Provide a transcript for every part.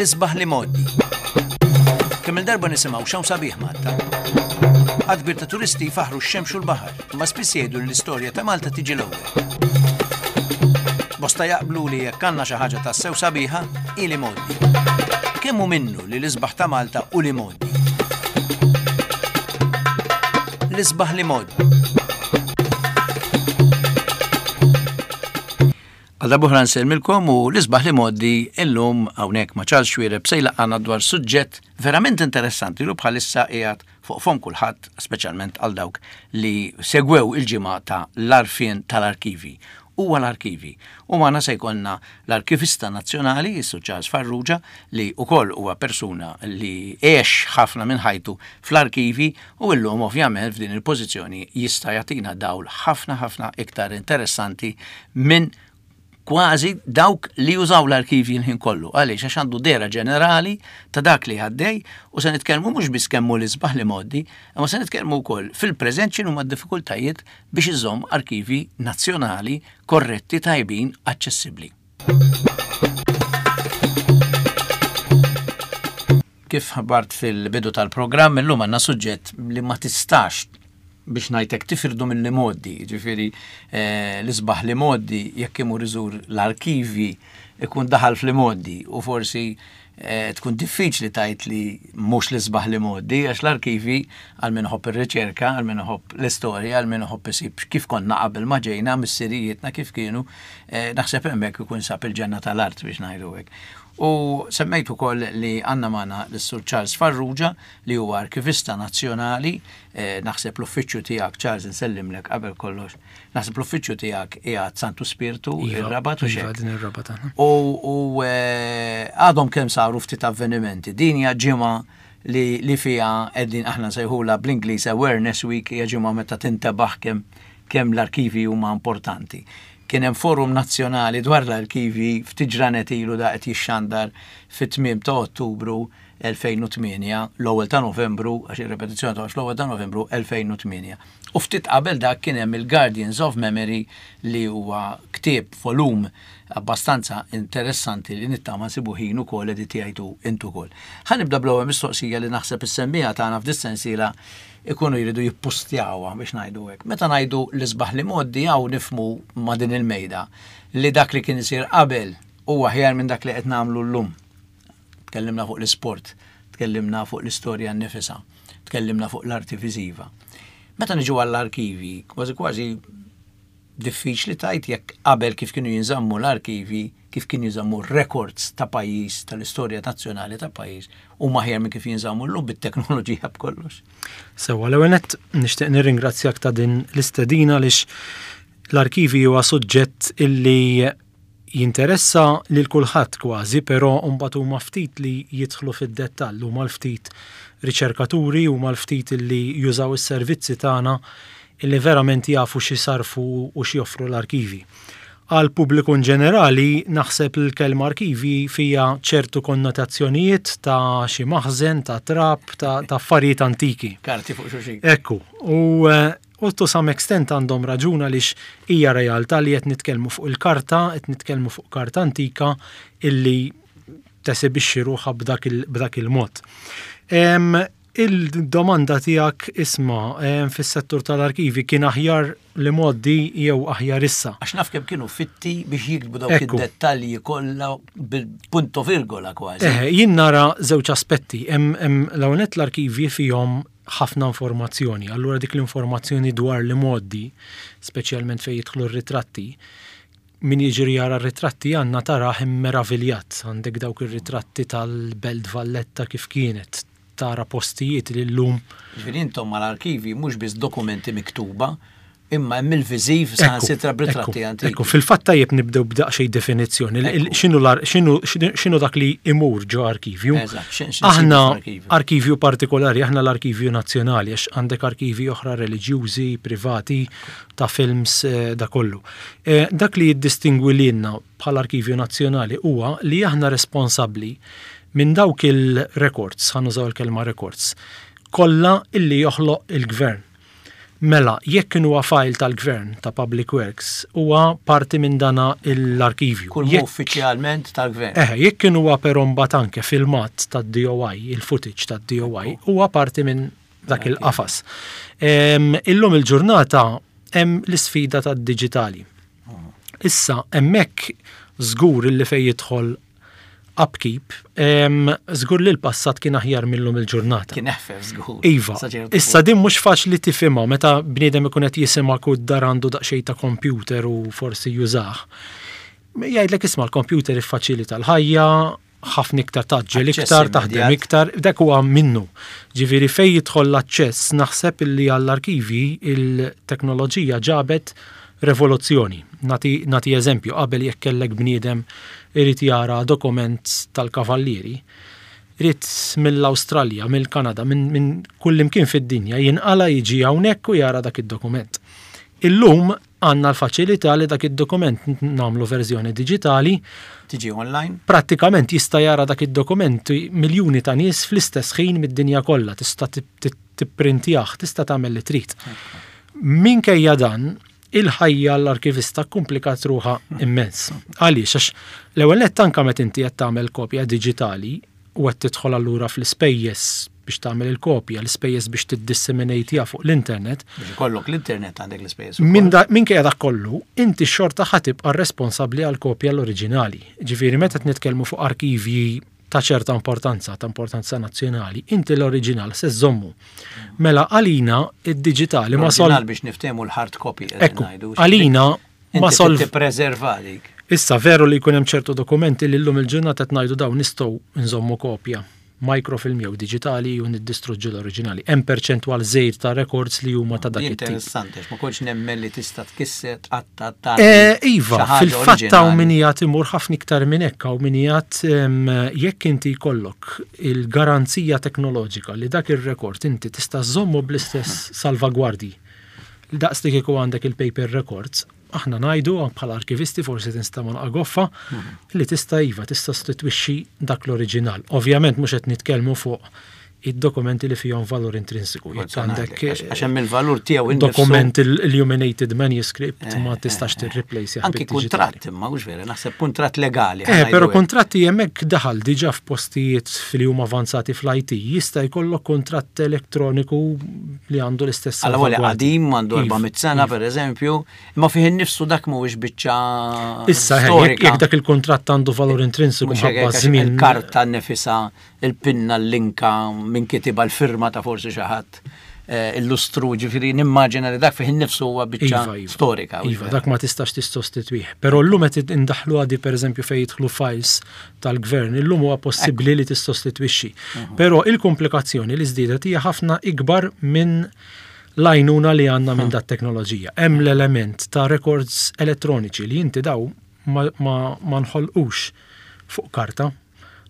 L-isbaħ l-imgħoddi. Kemm-il darba nisimgħu x'hawn sabiħ Malta. Għadd kbir ta' turisti jfaħħru x-xemx u l-baħar, imma spiss jgħidu li l-istorja ta' Malta tiġi l-ewwel. Bosta jaqblu li jekk għandna xi ħaġa tassew sabiħa, hi l-imgħoddi. Kemm hu minnu li l-isbaħ ta' Malta hu l-imgħoddi? L-isbaħ l-imgħoddi. Għal darb'oħra nsellmilkom u l-isbaħ li mgħoddi illum hawnhekk ma' Charles Xuereb se jlaqqagħna dwar suġġett verament interessanti li bħalissa qiegħed fuq fomm kulħadd, speċjalment għal dawk li segwew il-ġimgħa ta' l-għarfien tal-arkivi. Huwa l-arkivi. U magħna se jkollna l-Arkivista Nazzjonali, is-Sur Charles Farrugia, li wkoll huwa persuna li għex ħafna minn ħajtu fl-arkivi u illum ovvjament f'din il-pożizzjoni jista' jagħtina dawl ħafna ħafna iktar interessanti minn kważi dawk li jużaw l-arkivji l-ħin kollu. Għaliex għax għandu dera ġenerali ta' dak li għaddej u se nitkellmu mhux biss kemm hu l-isbaħ li mgħoddi, imma se nitkellmu wkoll fil-preżent x'inhuma d-diffikultajiet biex iżomm arkivi nazzjonali korretti, tajbin, aċċessibbli. Kif ħabbart fil-bidu tal-programm, illum għandna suġġett li ma tistax biex ngħidlek tifirdu mill-imgħoddi, ġifieri eh, l-isbaħ li mgħoddi jekk imur iżur l-arkivi ikun daħal fl-imgħoddi u forsi eh, tkun diffiċli tajt li mhux l-isbaħ li mgħoddi għax l-arkivi għal min iħobb ir-riċerka, għal min iħobb l-istorja, għal min iħobb isib kif konna qabel ma ġejna missirijietna kif kienu, eh, naħseb hemmhekk ikun sab il-ġenna tal-art biex ngħidu hekk. U semmejt ukoll li għandna magħna lis-Sur Charles Farrugia li huwa Arkivista Nazzjonali, naħseb l-uffiċċju tiegħek Charles insellimlek qabel kollox. Naħseb l-uffiċċju tiegħek qiegħed Santu Spirtu, iva, ir-Rabat u iva, din ir-Rabat aħna. U eh, għadhom kemm saru ftit avvenimenti. Din hija ġimgħa li, li fiha qegħdin aħna nsejħulha bl-Ingliż Awareness Week hija ġimgħa meta tintebaħ kemm kemm l-arkivi huma importanti. Kien hemm forum nazzjonali dwar l-arkivi ftit ġranet ilu da qed jixxandar fit-tmiem ta' Ottubru 2008, l-ewwel ta' Novembru, għax ir-repetizzjoni toħroġ l-ewwel ta' Novembru 2008. U ftit qabel dak kien hemm il-Guardians of Memory li huwa ktieb volum abbastanza interessanti li nittama nsibu ħin ukoll editjajtu int ukoll. Ħa nibda bl-ewwel mistoqsija li naħseb is-semmiegħa tagħna f'dis-sensiela ikunu jridu jippustjawha biex ngħidu hekk. Meta ngħidu l-isbaħ li mgħoddi hawn nifhmu ma' din il-mejda li dak li kien isir qabel huwa aħjar minn dak li qed nagħmlu llum. Tkellimna fuq l-isport, tkellimna fuq l-istorja nnifisha, tkellimna fuq l-arti viżiva. Meta niġu għall-arkivi, kważi kważi Diffiċli tgħid jekk qabel kif kienu jinżammu l-arkivi, kif kienu jinżammu r-rekords ta' pajjiż, tal-istorja nazzjonali ta' pajjiż, huma aħjar minn kif jinżammu llum bit-teknoloġija b'kollox. Sewwa, l-ewwel nett nixtieq nirringrazzjak ta' din l-istedina għaliex l-arkivi huwa suġġett illi jinteressa lil kulħadd kważi, però mbagħad huma ftit li jidħlu fid-dettall, huma l-ftit riċerkaturi, huma l-ftit li jużaw is-servizzi tagħna illi verament jafu x'isarrfu u x'joffru l-arkivi. Għall-pubbliku in ġenerali, naħseb li l-kelma arkivi fiha ċertu konnotazzjonijiet ta' xi maħżen, ta' trab, ta' affarijiet antiki. Karti fuq xulxin. Ekku. U U to some extent għandhom raġun għaliex hija realtà li qed nitkellmu fuq il-karta, qed nitkellmu fuq karta antika illi tesibixxi ruħha b'dak il-mod. Il-domanda tiegħek isma' fis-settur tal-arkivi kien aħjar l-imgħoddi jew aħjar issa? Għax naf kemm kienu fitti biex jiktbu dawk id-dettalji kollha bil-punto virgola kważi. Jien nara żewġ aspetti. Hemm l-ewwel nett l-arkivji fihom ħafna informazzjoni. Allura dik l-informazzjoni dwar l-imgħoddi, speċjalment fejn jidħlu r-ritratti, min jiġri jara r-ritratti għandna tarah immeraviljat. Għandek dawk ir-ritratti tal-Belt Valletta kif kienet, tara postijiet li llum. Ġifieri intom mal-arkivi mhux biss dokumenti miktuba, Imma hemm il-viżiv saħansitra b'ritratti antiki. Ekku, fil-fatt tajjeb nibdew b'daqsxejn definizzjoni. X'inhu dak li imur ġo arkivju? Aħna arkivju partikolari, aħna l-arkivju nazzjonali, għax għandek arkivji oħra reliġjużi, privati, ta' films, eh, da kollu. Eh, dak li jiddistingwi lilna bħala arkivju nazzjonali huwa li aħna responsabbli minn dawk il-records, ħa nużaw il-kelma records, kollha illi joħloq il-gvern. Mela, jekk huwa file tal-gvern ta' Public Works, huwa parti minn dana l-arkivju. Kull uffiċjalment tal-gvern. Eh, jekk huwa però mbagħad anke filmat tad-DOI, il-footage tad-DOI, huwa parti minn dak il-qafas. Illum il-ġurnata hemm l-isfida tad-diġitali. Issa hemmhekk żgur li fejn jidħol upkeep, żgur li l-passat kien aħjar millum il-ġurnata. Kien eħfef żgur. Iva. Issa din mhux faċli tifhimha meta bniedem ikun qed jisimgħek u d-dar għandu daqsxejn ta' computer u forsi jużah. Jgħidlek isma' l-computer iffaċilita l-ħajja, ħafna iktar taġġel iktar, taħdem iktar, dak huwa minnu. Ġifieri fejn jidħol l-aċċess naħseb illi għall-arkivi il-teknoloġija ġabet revoluzzjoni. Nati, nati eżempju, qabel jekk kellek bniedem irid jara dokument tal-kavallieri, irid mill-Awstralja, mill-Kanada, minn min kullimkien fid-dinja jinqala jiġi hawnhekk u jara dak id-dokument. Illum għandna l-faċilità li dak id-dokument nagħmlu verżjoni diġitali. Tiġi online? Prattikament jista' jara dak id-dokument miljuni ta' nies fl-istess ħin mid-dinja kollha, tista' tipprintjah, tista' tagħmel li trid. Minkejja dan, il-ħajja l-arkivista komplikat ruħha immens. Għaliex, għax l-ewwel nett anke meta inti qed tagħmel kopja diġitali u qed tidħol allura fl-ispejjeż biex tagħmel il-kopja, l-ispejjeż biex tiddisseminatejha fuq l-internet. Biex ikollok l-internet għandek l-ispejjeż. Minkejja dak kollu, inti xorta ħa tibqa' responsabbli għal kopja l-oriġinali. Ġifieri meta nitkellmu fuq arkivji ta' ċerta importanza, ta' importanza nazzjonali, inti l-oriġinal se żommu. Mela għalina id-diġitali ma sol. biex niftehmu l-hard copy. Ekku, għalina ma sol. Tippreserva dik. Issa veru li jkun hemm ċertu dokumenti li llum il-ġurnata qed ngħidu dawn nistgħu nżommu kopja microfilm jew diġitali u niddistruġġu l-oriġinali. Hemm perċentwal żgħir ta' records li huma ta' dak it-tip. Interessanti, ma kontx nemmen li tista' tkisser tqatta' ta' eh, Iva, fil-fatt hawn min jgħid imur ħafna iktar minn hekk hawn min jgħid jekk inti jkollok il-garanzija teknoloġika li dak ir-rekord inti tista' żommu bl-istess salvagwardji. Daqs li kieku għandek il-paper records, aħna ngħidu bħala arkivisti forsi tinstema' naqa goffa li tista' iva tista' tissostitwixxi dak l-oriġinal. Ovvjament mhux qed nitkellmu fuq id-dokumenti li fihom valur intrinsiku. Jekk għandek għax hemm il-valur tiegħu dokument illuminated manuscript eh, ma tistax eh, eh. tirreplace Anki kuntratt imma mhux vera, naħseb kuntratt legali. Eh, però kuntratti hemmhekk daħal diġà f'postijiet li huma avanzati fl-IT jista' jkollok kuntratt elettroniku li għandu l-istess. Alla qadim għandu 400 iva, sena iva. per eżempju, imma fih innifsu dak mhuwiex biċċa Issa jekk dak il-kuntratt għandu valur intrinsiku mħabba żmien. Il-karta nefisa, il-pinna, l-linka, minn kitibha l-firma ta' forsi xi ħadd eh, illustru, ġifieri nimmaġina li dak fih innifsu huwa biċċa iva, iva. storika. Iva, dak ma tistax tissostitwih. Però llum qed indaħlu għadi pereżempju fejn jidħlu files tal-gvern, illum huwa possibbli li tissostitwixxi. Mhm. Però il-komplikazzjoni li żdiedet hija ħafna ikbar minn l-għajnuna li għandna minn dat teknoloġija. Hemm l-element ta' records elettroniċi li inti daw ma, ma, ma nħolqux fuq karta.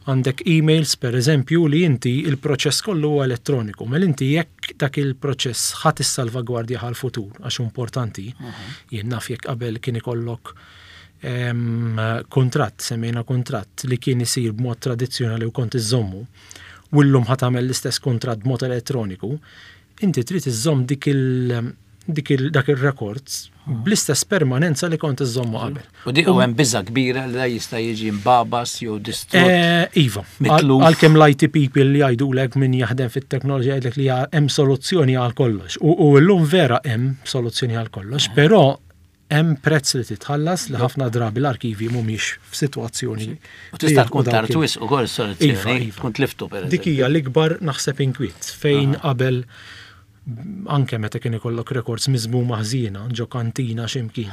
Għandek emails per eżempju li inti il-proċess kollu huwa elettroniku. Mela inti jekk dak il-proċess ħadd issalvagwardja għal-futur għax importanti, jien naf jekk qabel kien ikollok kontratt, semmejna kontratt li kien isir b'mod tradizzjonali u kont iżommu, u llum ħa tagħmel l-istess kontratt b'mod elettroniku, inti trid iżżomm dik il dik il dak ir-rekord bl-istess permanenza li kont iżommu qabel. U dik u hemm biża kbira li da jista' jiġi mbabas jew distrott. Eh, iva, għalkemm l-IT people li jgħidulek min jaħdem fit-teknoloġija jgħidlek li hemm soluzzjoni għal kollox. U llum vera hemm soluzzjoni għal kollox, eh. però hemm prezz li titħallas li ħafna drabi l-arkivi mhumiex f'sitwazzjoni. U tista' tkun tard wisq ukoll soluzzjoni. Iva, iva. Tkun tliftu per Dik hija l-ikbar naħseb inkwiet fejn ah. qabel anke meta kien ikollok records miżmuma ħżiena ġo kantina x'imkien.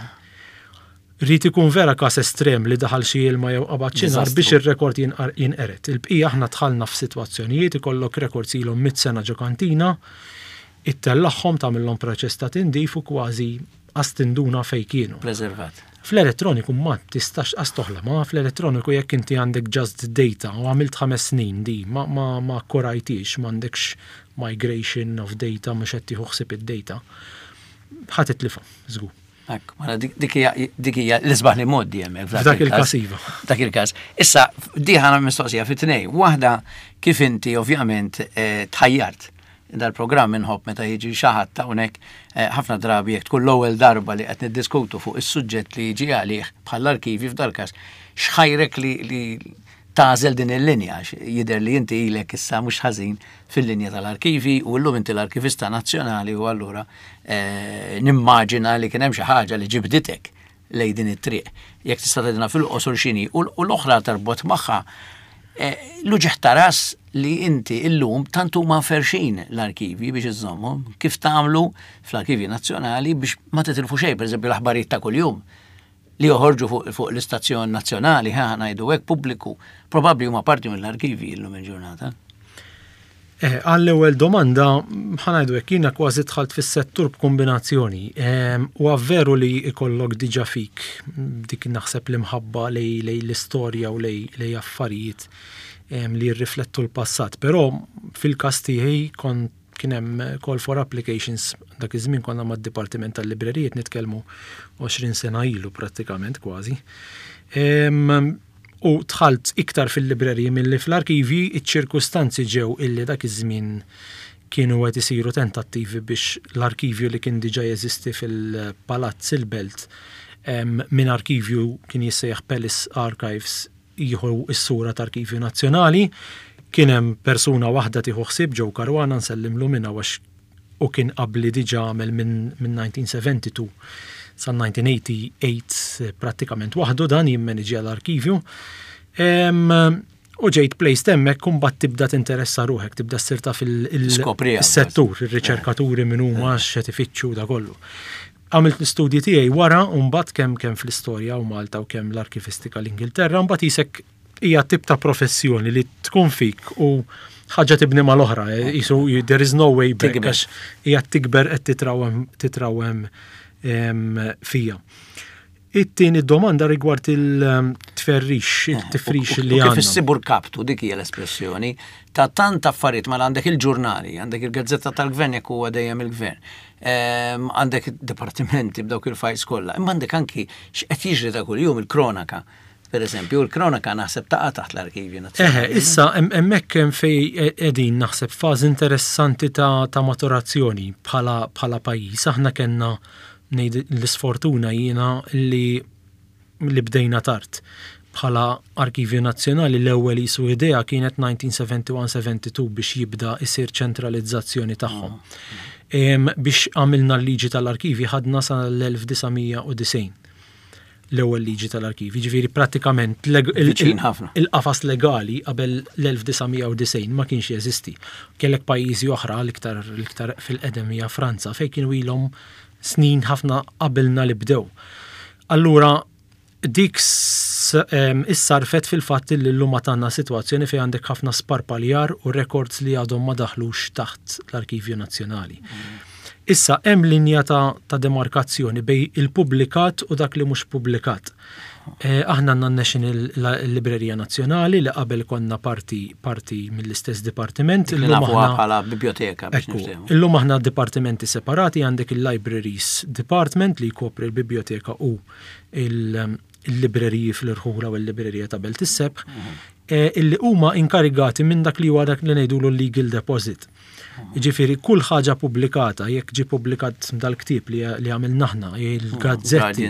Rrid ikun vera każ estrem li daħal xi ilma jew qabad xi nar biex ir-rekord jinqered. Il-bqija aħna dħalna f'sitwazzjonijiet ikollok records ilhom mit sena ġo kantina, ittellagħhom tagħmilhom proċess ta' tindif u kważi qas tinduna fejn kienu. Preservat. Fl-elettroniku ma tistax qas toħlom, ma fl-elettroniku jekk inti għandek just data u għamilt 5 snin di ma, ma, ma korajtix, m'għandekx migration of data, mhux qed tieħu ħsieb id-data, ħa titlifha, żgur. Ekku, mela dik hija l-isbaħ li moddi hemmhekk. F'dak il-każ iva. Dak il-każ. Issa, di ħana mistoqsija fit tnej. Waħda kif inti ovvjament eh, tħajjart. Dal-programm inħobb meta jiġi xi ħadd hawnhekk eh, ħafna drabi jekk tkun l-ewwel darba li qed niddiskutu fuq is-suġġett li jiġi għalih bħall-arkivi f'dal-każ, x'ħajrek li, li tagħżel din il-linja jidher li inti ilek issa mhux ħażin fil-linja tal-arkivi u llum inti l-arkivista nazzjonali u allura eh, nimmaġina li kien hemm xi ħaġa li ġibditek lejn din it-triq. Jekk tista' tgħidilna fil-qosor x'inhi u l-oħra tarbot magħha eh, l-uġigħ ta' ras li inti illum tant huma mferrxin l-arkivi biex iżżommhom, kif tagħmlu fl-Arkivji Nazzjonali biex ma titilfu xejn, pereżempju l-aħbarijiet ta' kuljum li joħorġu fuq, fuq l-istazzjon nazzjonali, ħa ngħidu hekk pubbliku, probabbli huma parti mill-arkivi illum il-ġurnata. Eh, għall-ewwel domanda, ħa ngħidu hekk, jiena kważi dħalt fis-settur b'kombinazzjoni. Ehm, u veru li ikollok diġà fik dik naħseb l-imħabba lejn l-istorja u lejn affarijiet ehm, li jirriflettu l-passat. Però fil-każ tiegħi kont kien hemm call for applications dak iż-żmien konna mad-Dipartiment tal-Librerijiet nitkellmu 20 sena ilu prattikament kważi. Ehm, u dħalt iktar fil-libreriji milli fl-arkivi, iċ-ċirkustanzi ġew illi dak iż-żmien kienu qed isiru tentattivi biex l-arkivju li kien diġà jeżisti fil-Palazz il-Belt minn arkivju kien jissejjaħ Palace Archives jieħu s-sura ta' Arkivju Nazzjonali. Kien hemm persuna waħda tieħu ħsieb Joe Caruana nsellimlu minn hawn għax u kien qabli diġà għamel minn 1972 sa 1988 prattikament waħdu dan jimmaniġja l-arkivju. U ġejt placed hemmhekk u mbagħad tibda tinteressa ruħek, tibda ssir taf il-settur, ir-riċerkaturi min huma x'qed ifittxu da kollu. Għamilt l-istudji tiegħi wara u mbagħad kemm kemm fl-istorja u Malta u kemm l-arkivistika l-Ingilterra, mbagħad isek hija tip ta' professjoni li tkun fik u ħaġa tibni mal-oħra, eh, jisu there is no way back, għax hija tikber qed titrawem titrawem fija. It-tieni domanda rigward il-tferrix, eh, il-tifrix li għandna. Kif issibu rkaptu dik hija l-espressjoni ta' tant affarijiet mela għandek il-ġurnali, għandek il-gazzetta tal-gvern jekk huwa dejjem il-gvern. Għandek dipartimenti b'dawk il-files kollha, imma għandek anki x'qed jiġri ta' kuljum il-kronaka. Per eżempju, il-kronaka naħseb taqa' taħt l-arkivju nazzjonali. Eħe, issa hemmhekk hemm fejn qegħdin naħseb fażi interessanti ta' maturazzjoni bħala pajjiż. Aħna kellna ngħid l-isfortuna jiena li li bdejna tard. Bħala Arkivju Nazzjonali l-ewwel qisu idea kienet 1971-72 biex jibda jsir ċentralizzazzjoni tagħhom. Biex għamilna l-liġi tal-arkivi ħadna sal-1990 l-ewwel liġi tal-arkivi. Ġifieri prattikament il-qafas legali qabel l-1990 ma kienx jeżisti. Kellek pajjiżi oħra l-iktar l-iktar fil-qedem hija Franza fejn kienu ilhom snin ħafna qabilna li bdew. Allura dik issarfet fil-fatt li llum għad għandna sitwazzjoni fejn għandek ħafna sparpaljar u records li għadhom ma daħlux taħt l-Arkivju Nazzjonali. Issa hemm linja ta', ta demarkazzjoni bejn il-pubblikat u dak li mhux pubblikat. Eh, aħna għandna National Librerija Nazzjonali li qabel konna parti parti mill-istess dipartiment. Illum aħna bħala biblioteka biex Illum aħna dipartimenti separati għandek il-Libraries Department li jkopri l-biblioteka u il-libreriji fl-irħula u l-librerija ta' Belt is-Sebħ, mhm. eh, illi huma inkarigati minn dak li huwa dak li ngħidulu legal deposit. Ġifieri kull ħaġa pubblikata, jekk ġie pubblikat dal-ktieb li għamilna aħna, il-gazzetti.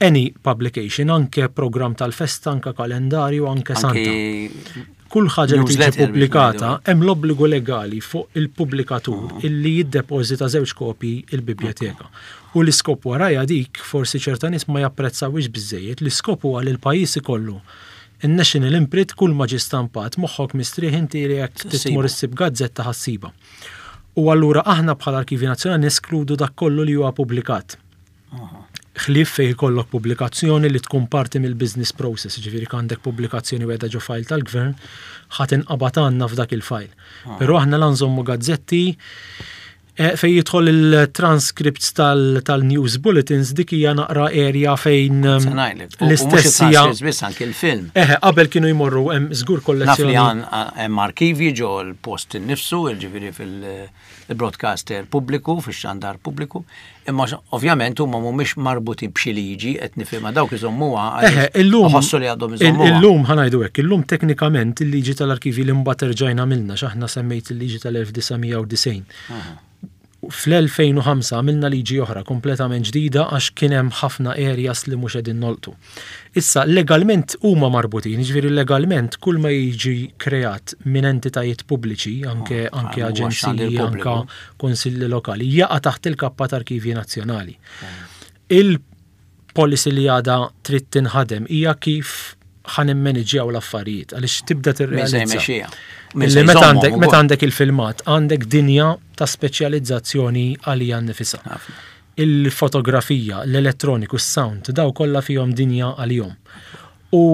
Any publication, anke programm tal-festa, anke kalendarju, anke santa. Kull ħaġa li tiġi pubblikata, hemm l-obbligu legali fuq il-pubblikatur ah. illi jiddepożita żewġ kopji il-bibljoteka. U l-iskop warajha dik, forsi ċerta nies ma japprezzawhiex biżżejjed, l-iskop huwa li l-pajjiż ikollu In-National Imprint kull ma ġie stampat, moħħok mistrieħ inti li jekk trid tmur issib gazzetta ħa ssibha. U allura aħna bħala Arkivji Nazzjonali neskludu dak kollu li huwa pubblikat. Ħlief fejn ikollok pubblikazzjoni li tkun parti mill-business process, jiġifieri jekk għandek pubblikazzjoni wegħda ġo file tal-gvern, ħa tinqabad għandna f'dak il-file. Però aħna la nżommu gazzetti. Eh, fejn jidħol il-transcripts tal-news bulletins dik hija naqra area fejn ehm, l-istess hija. Biss anke l-film. Eħe, qabel kienu jmorru hemm żgur kollezzjoni. Naf li hemm arkivi ġo l-post innifsu, ġifieri fil-broadcaster pubbliku, fix-xandar pubbliku, imma ovvjament huma mhumiex marbutin b'xi liġi qed nifhimha dawk iżommuha. Eħe, illum ħossu li għadhom iżommuha. Illum ħanajdu hekk, illum teknikament il-liġi tal-arkivi li mbagħad erġajna għamilna x'aħna semmejt il-liġi tal-1990. Fl-2005 għamilna liġi oħra kompletament ġdida għax kien hemm ħafna areas li mhux qegħdin nolqtu. Issa, legalment huma marbutin, jiġifieri legalment kull ma jiġi kreat minn entitajiet pubbliċi, anke oh, anke aġenziji, anke kunsilli lokali, jaqa' taħt il-kappa ta' Arkivji Nazzjonali. Il-policy li għadha trid tinħadem hija kif ħa nimmaniġġjaw l-affarijiet għaliex tibda tirrealizza. Li meta għandek meta għandek il-filmat għandek dinja ta' speċjalizzazzjoni għalija nnifisha. Il-fotografija, l-elettroniku, s-sound, daw kollha fihom dinja għalihom. U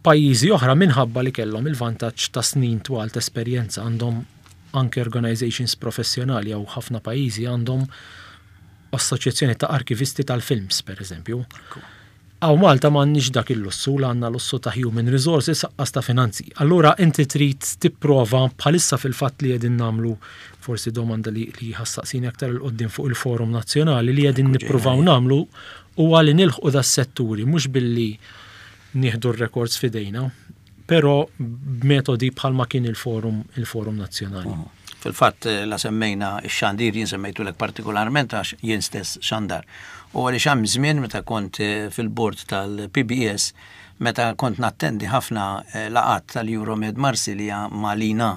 pajjiżi oħra minħabba li kellhom il-vantaġġ ta' snin twal ta' esperjenza għandhom anke organizations professjonali jew ħafna pajjiżi għandhom assoċjazzjoni ta' arkivisti tal-films, per eżempju. Hawn Malta m'għandniex dak il-lussu, la għandna lussu ta' human resources aqqas ta' finanzi. Allura inti trid tipprova bħalissa fil-fatt li qegħdin nagħmlu forsi domanda li li ħa ssaqsini aktar 'il quddiem fuq il-forum nazzjonali li qegħdin nippruvaw nagħmlu huwa li nilħqu das-setturi mhux billi nieħdu r-records f'idejna, però b'metodi bħalma kien il-forum il-forum nazzjonali. Fil-fatt la semmejna x-xandir jien semmejtulek partikolarment għax jien stess xandar. U għaliex hemm żmien meta kont fil-bord tal-PBS meta kont nattendi ħafna laqgħat tal-Euromed Marsilja ma' l-INA,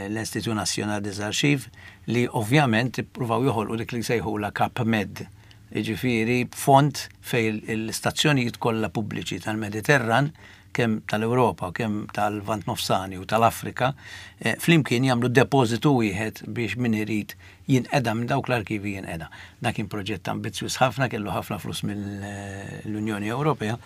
l-Institut National des Archives, li ovvjament ippruvaw joħolqu dik li jsejħulha CapMed, jiġifieri fond fejn l-istazzjonijiet kollha pubbliċi tal-Mediterran, kemm tal-Ewropa u kemm tal-Lvant Nofsani u tal-Afrika, flimkien jagħmlu depożitu wieħed biex min irid jinqeda minn dawk l-arkivi jinqeda. Dan kien proġett ambizzjuż ħafna, kellu ħafna flus mill-Unjoni Ewropea.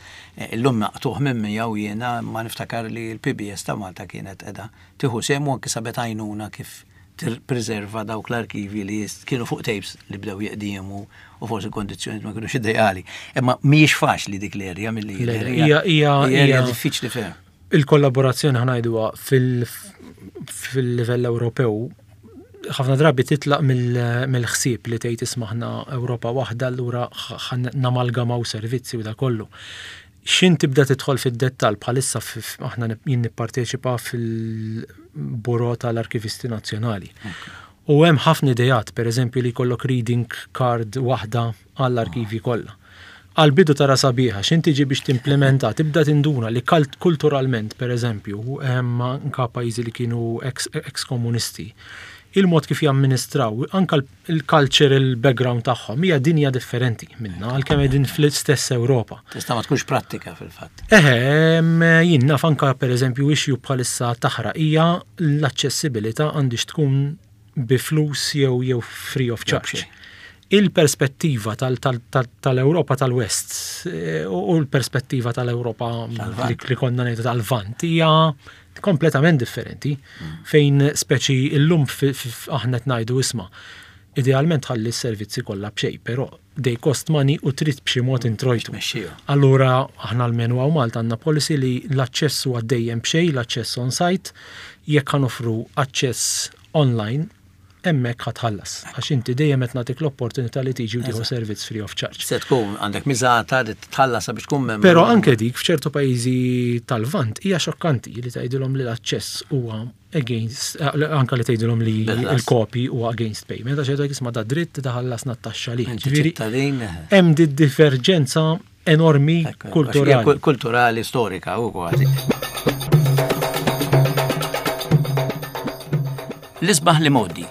Illum maqtugħ minn miegħu jiena ma niftakar li l-PBS ta' Malta kienet qiegħda tieħu sehem u anki sabet għajnuna kif tippreserva dawk l-arkivi li kienu fuq tapes li bdew jeqdiemu u forsi kondizzjonijiet ma kinux ideali. Imma mhijiex faċli dik l-erja milli jidher. Hija hija diffiċli ferm. Il-kollaborazzjoni ħa ngħiduha fil-livell Ewropew ħafna drabi titlaq mill-ħsieb li tgħid isma' aħna Ewropa waħda allura namalgamaw servizzi u da kollu. X'in tibda tidħol fid-dettall bħalissa aħna jien nipparteċipa fil-Bureau tal-Arkivisti Nazzjonali. U hemm ħafna ideat, per eżempju li jkollok reading card waħda għall-arkivi kollha. Għall-bidu tara sabiħa, x'in tiġi biex timplementa, tibda tinduna li kulturalment, per eżempju, anka pajjiżi li kienu ex-komunisti, il-mod kif jamministraw, anka il-cultural background tagħhom hija dinja differenti minna għalkemm qegħdin fl-istess Ewropa. Tista' ma tkunx prattika fil-fatt. Eħe, jien naf anka pereżempju issue bħalissa taħraq hija l-aċċessibilità għandix tkun bi flus jew jew free of charge. Il-perspettiva tal-Ewropa tal-West eh, u l-perspettiva tal-Ewropa li konna ngħidu tal-Vant hija kompletament differenti fejn speċi illum aħna qed ngħidu isma' idealment ħalli s-servizzi kollha b'xejn, però they cost money u trid b'xi mod introjtu. Allura aħna almenu hawn Malta għandna policy li l-aċċess huwa dejjem b'xejn, l-aċċess on site, jekk ħa noffru aċċess online, hemmhekk ħa tħallas. Għax inti dejjem qed nagħtik l-opportunità li tiġi u tieħu servizz free of charge. Se tkun għandek miżata li tħallas sabiex tkun membru. Però anke dik f'ċertu pajjiżi tal-Lvant hija xokkanti li tgħidilhom li l-aċċess huwa against, eh, anke li tgħidilhom li l-kopi huwa against payment, għax jgħidulek isma' da dritt taħallasna t-taxxa li. Ġifieri hemm di diverġenza enormi kulturali. Kulturali, storika u kważi. L-isbaħ li modi.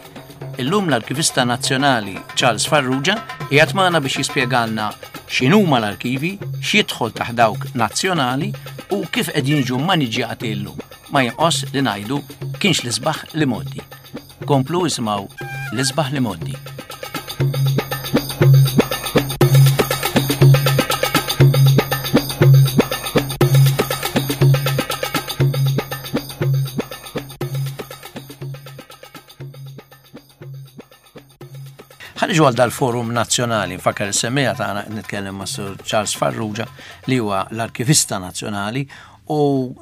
Illum l-Arkivista Nazzjonali Charles Farrugia qiegħed magħna biex jispjegalna x'inhuma l-arkivi, x'jidħol taħt dawk nazzjonali u kif qegħdin jiġu maniġjati llum. Ma jinqos li ngħidu kienx l-isbaħ li modi. Komplu isimgħu l-isbaħ li modi. Ħa niġu għal dal-forum nazzjonali, nfakkar is-semmiegħa tagħna qed nitkellem ma' Sur Charles Farrugia li huwa l-Arkivista Nazzjonali u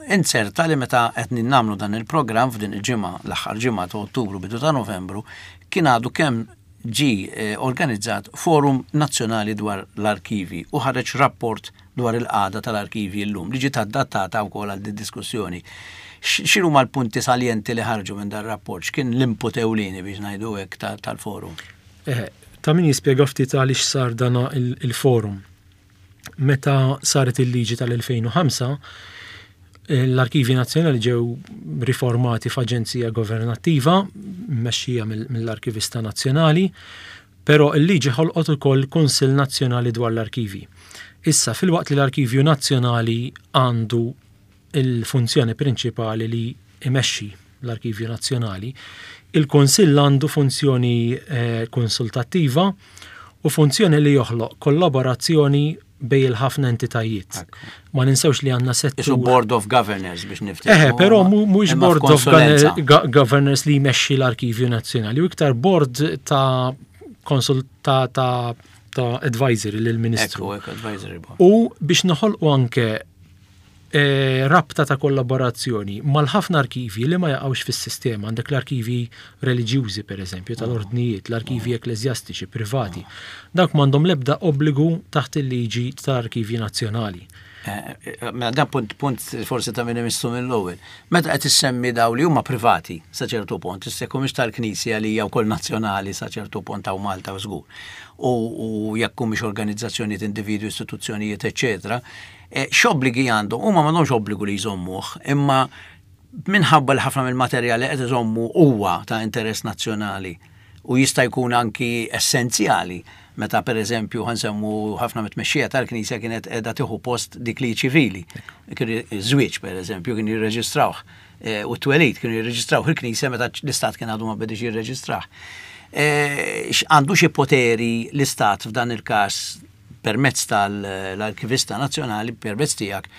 inzerta li meta qed nagħmlu dan il-programm f'din il-ġimgħa, l-aħħar ġimgħa ta' Ottubru bidu ta' Novembru, kien għadu kemm ġie eh, organizzat forum nazzjonali dwar l-arkivi u ħareġ rapport dwar il-qagħda tal-arkivji llum li ġiet adattata wkoll għal din diskussjoni. X'inhuma l-punti saljenti li ħarġu minn dan rapport? X'kien l-input ewlieni biex ngħidu hekk tal-forum? Eh, ta' min jispjega ftit għaliex sar dan il-forum. Meta saret il-liġi tal-2005, l-Arkivi Nazzjonali ġew riformati f'aġenzija governattiva mmexxija mill-Arkivista Nazzjonali Però l-liġi ħolqot ukoll Kunsill Nazzjonali dwar l-Arkivji. Issa, filwaqt li l-Arkivju Nazzjonali għandu l-funzjoni prinċipali li jmexxi l-Arkivju Nazzjonali, il-Kunsill għandu funzjoni konsultattiva u funzjoni li joħloq kollaborazzjoni bejn il-ħafna entitajiet. Ma ninsewx li għandna settur. Isu Board of Governors biex niftehmu. Eħe, però mhux Board of Governors li jmexxi l-Arkivju Nazzjonali, u iktar board ta' konsult ta' ta' ta' advisory lill-Ministru. U biex noħolqu anke Eh, rabta ta' kollaborazzjoni mal-ħafna arkivji li ma jaqgħux fis-sistema, għandek l-arkivji reliġjużi pereżempju tal-ordnijiet, l-arkivji ekkleżjastiċi privati. Dawk m'għandhom l-ebda obbligu taħt il-liġi tal-arkivji nazzjonali. Eh, eh, mela dan punt, punt forsi ta' minn imissu mill-ewwel. Meta qed issemmi daw li huma privati sa ċertu punt, issa jekk mhux tal-Knisja li hija wkoll nazzjonali sa ċertu punt hawn Malta żgur. U jekk humiex organizzazzjonijiet, individwi, istituzzjonijiet, eċċetera, Eh, x'obbligi għandhom? Huma m'għandhomx obbligu li jżommuh, imma minħabba li ħafna mill-materjal li qed iżommu huwa ta' interess nazzjonali u jista' jkun anki essenzjali meta per eżempju ħansemmu ħafna mit-tmexxija tal-Knisja kienet qiegħda tieħu post dik li ċivili. Żwieġ per eżempju kien jirreġistrawh eh, u t-twelid kienu jirreġistrawh il-Knisja meta l-Istat kien għadu ma bedix jirreġistrah. Eh, għandu xi poteri l-Istat f'dan il-każ permezz tal-Arkivista Nazzjonali, permezz tiegħek,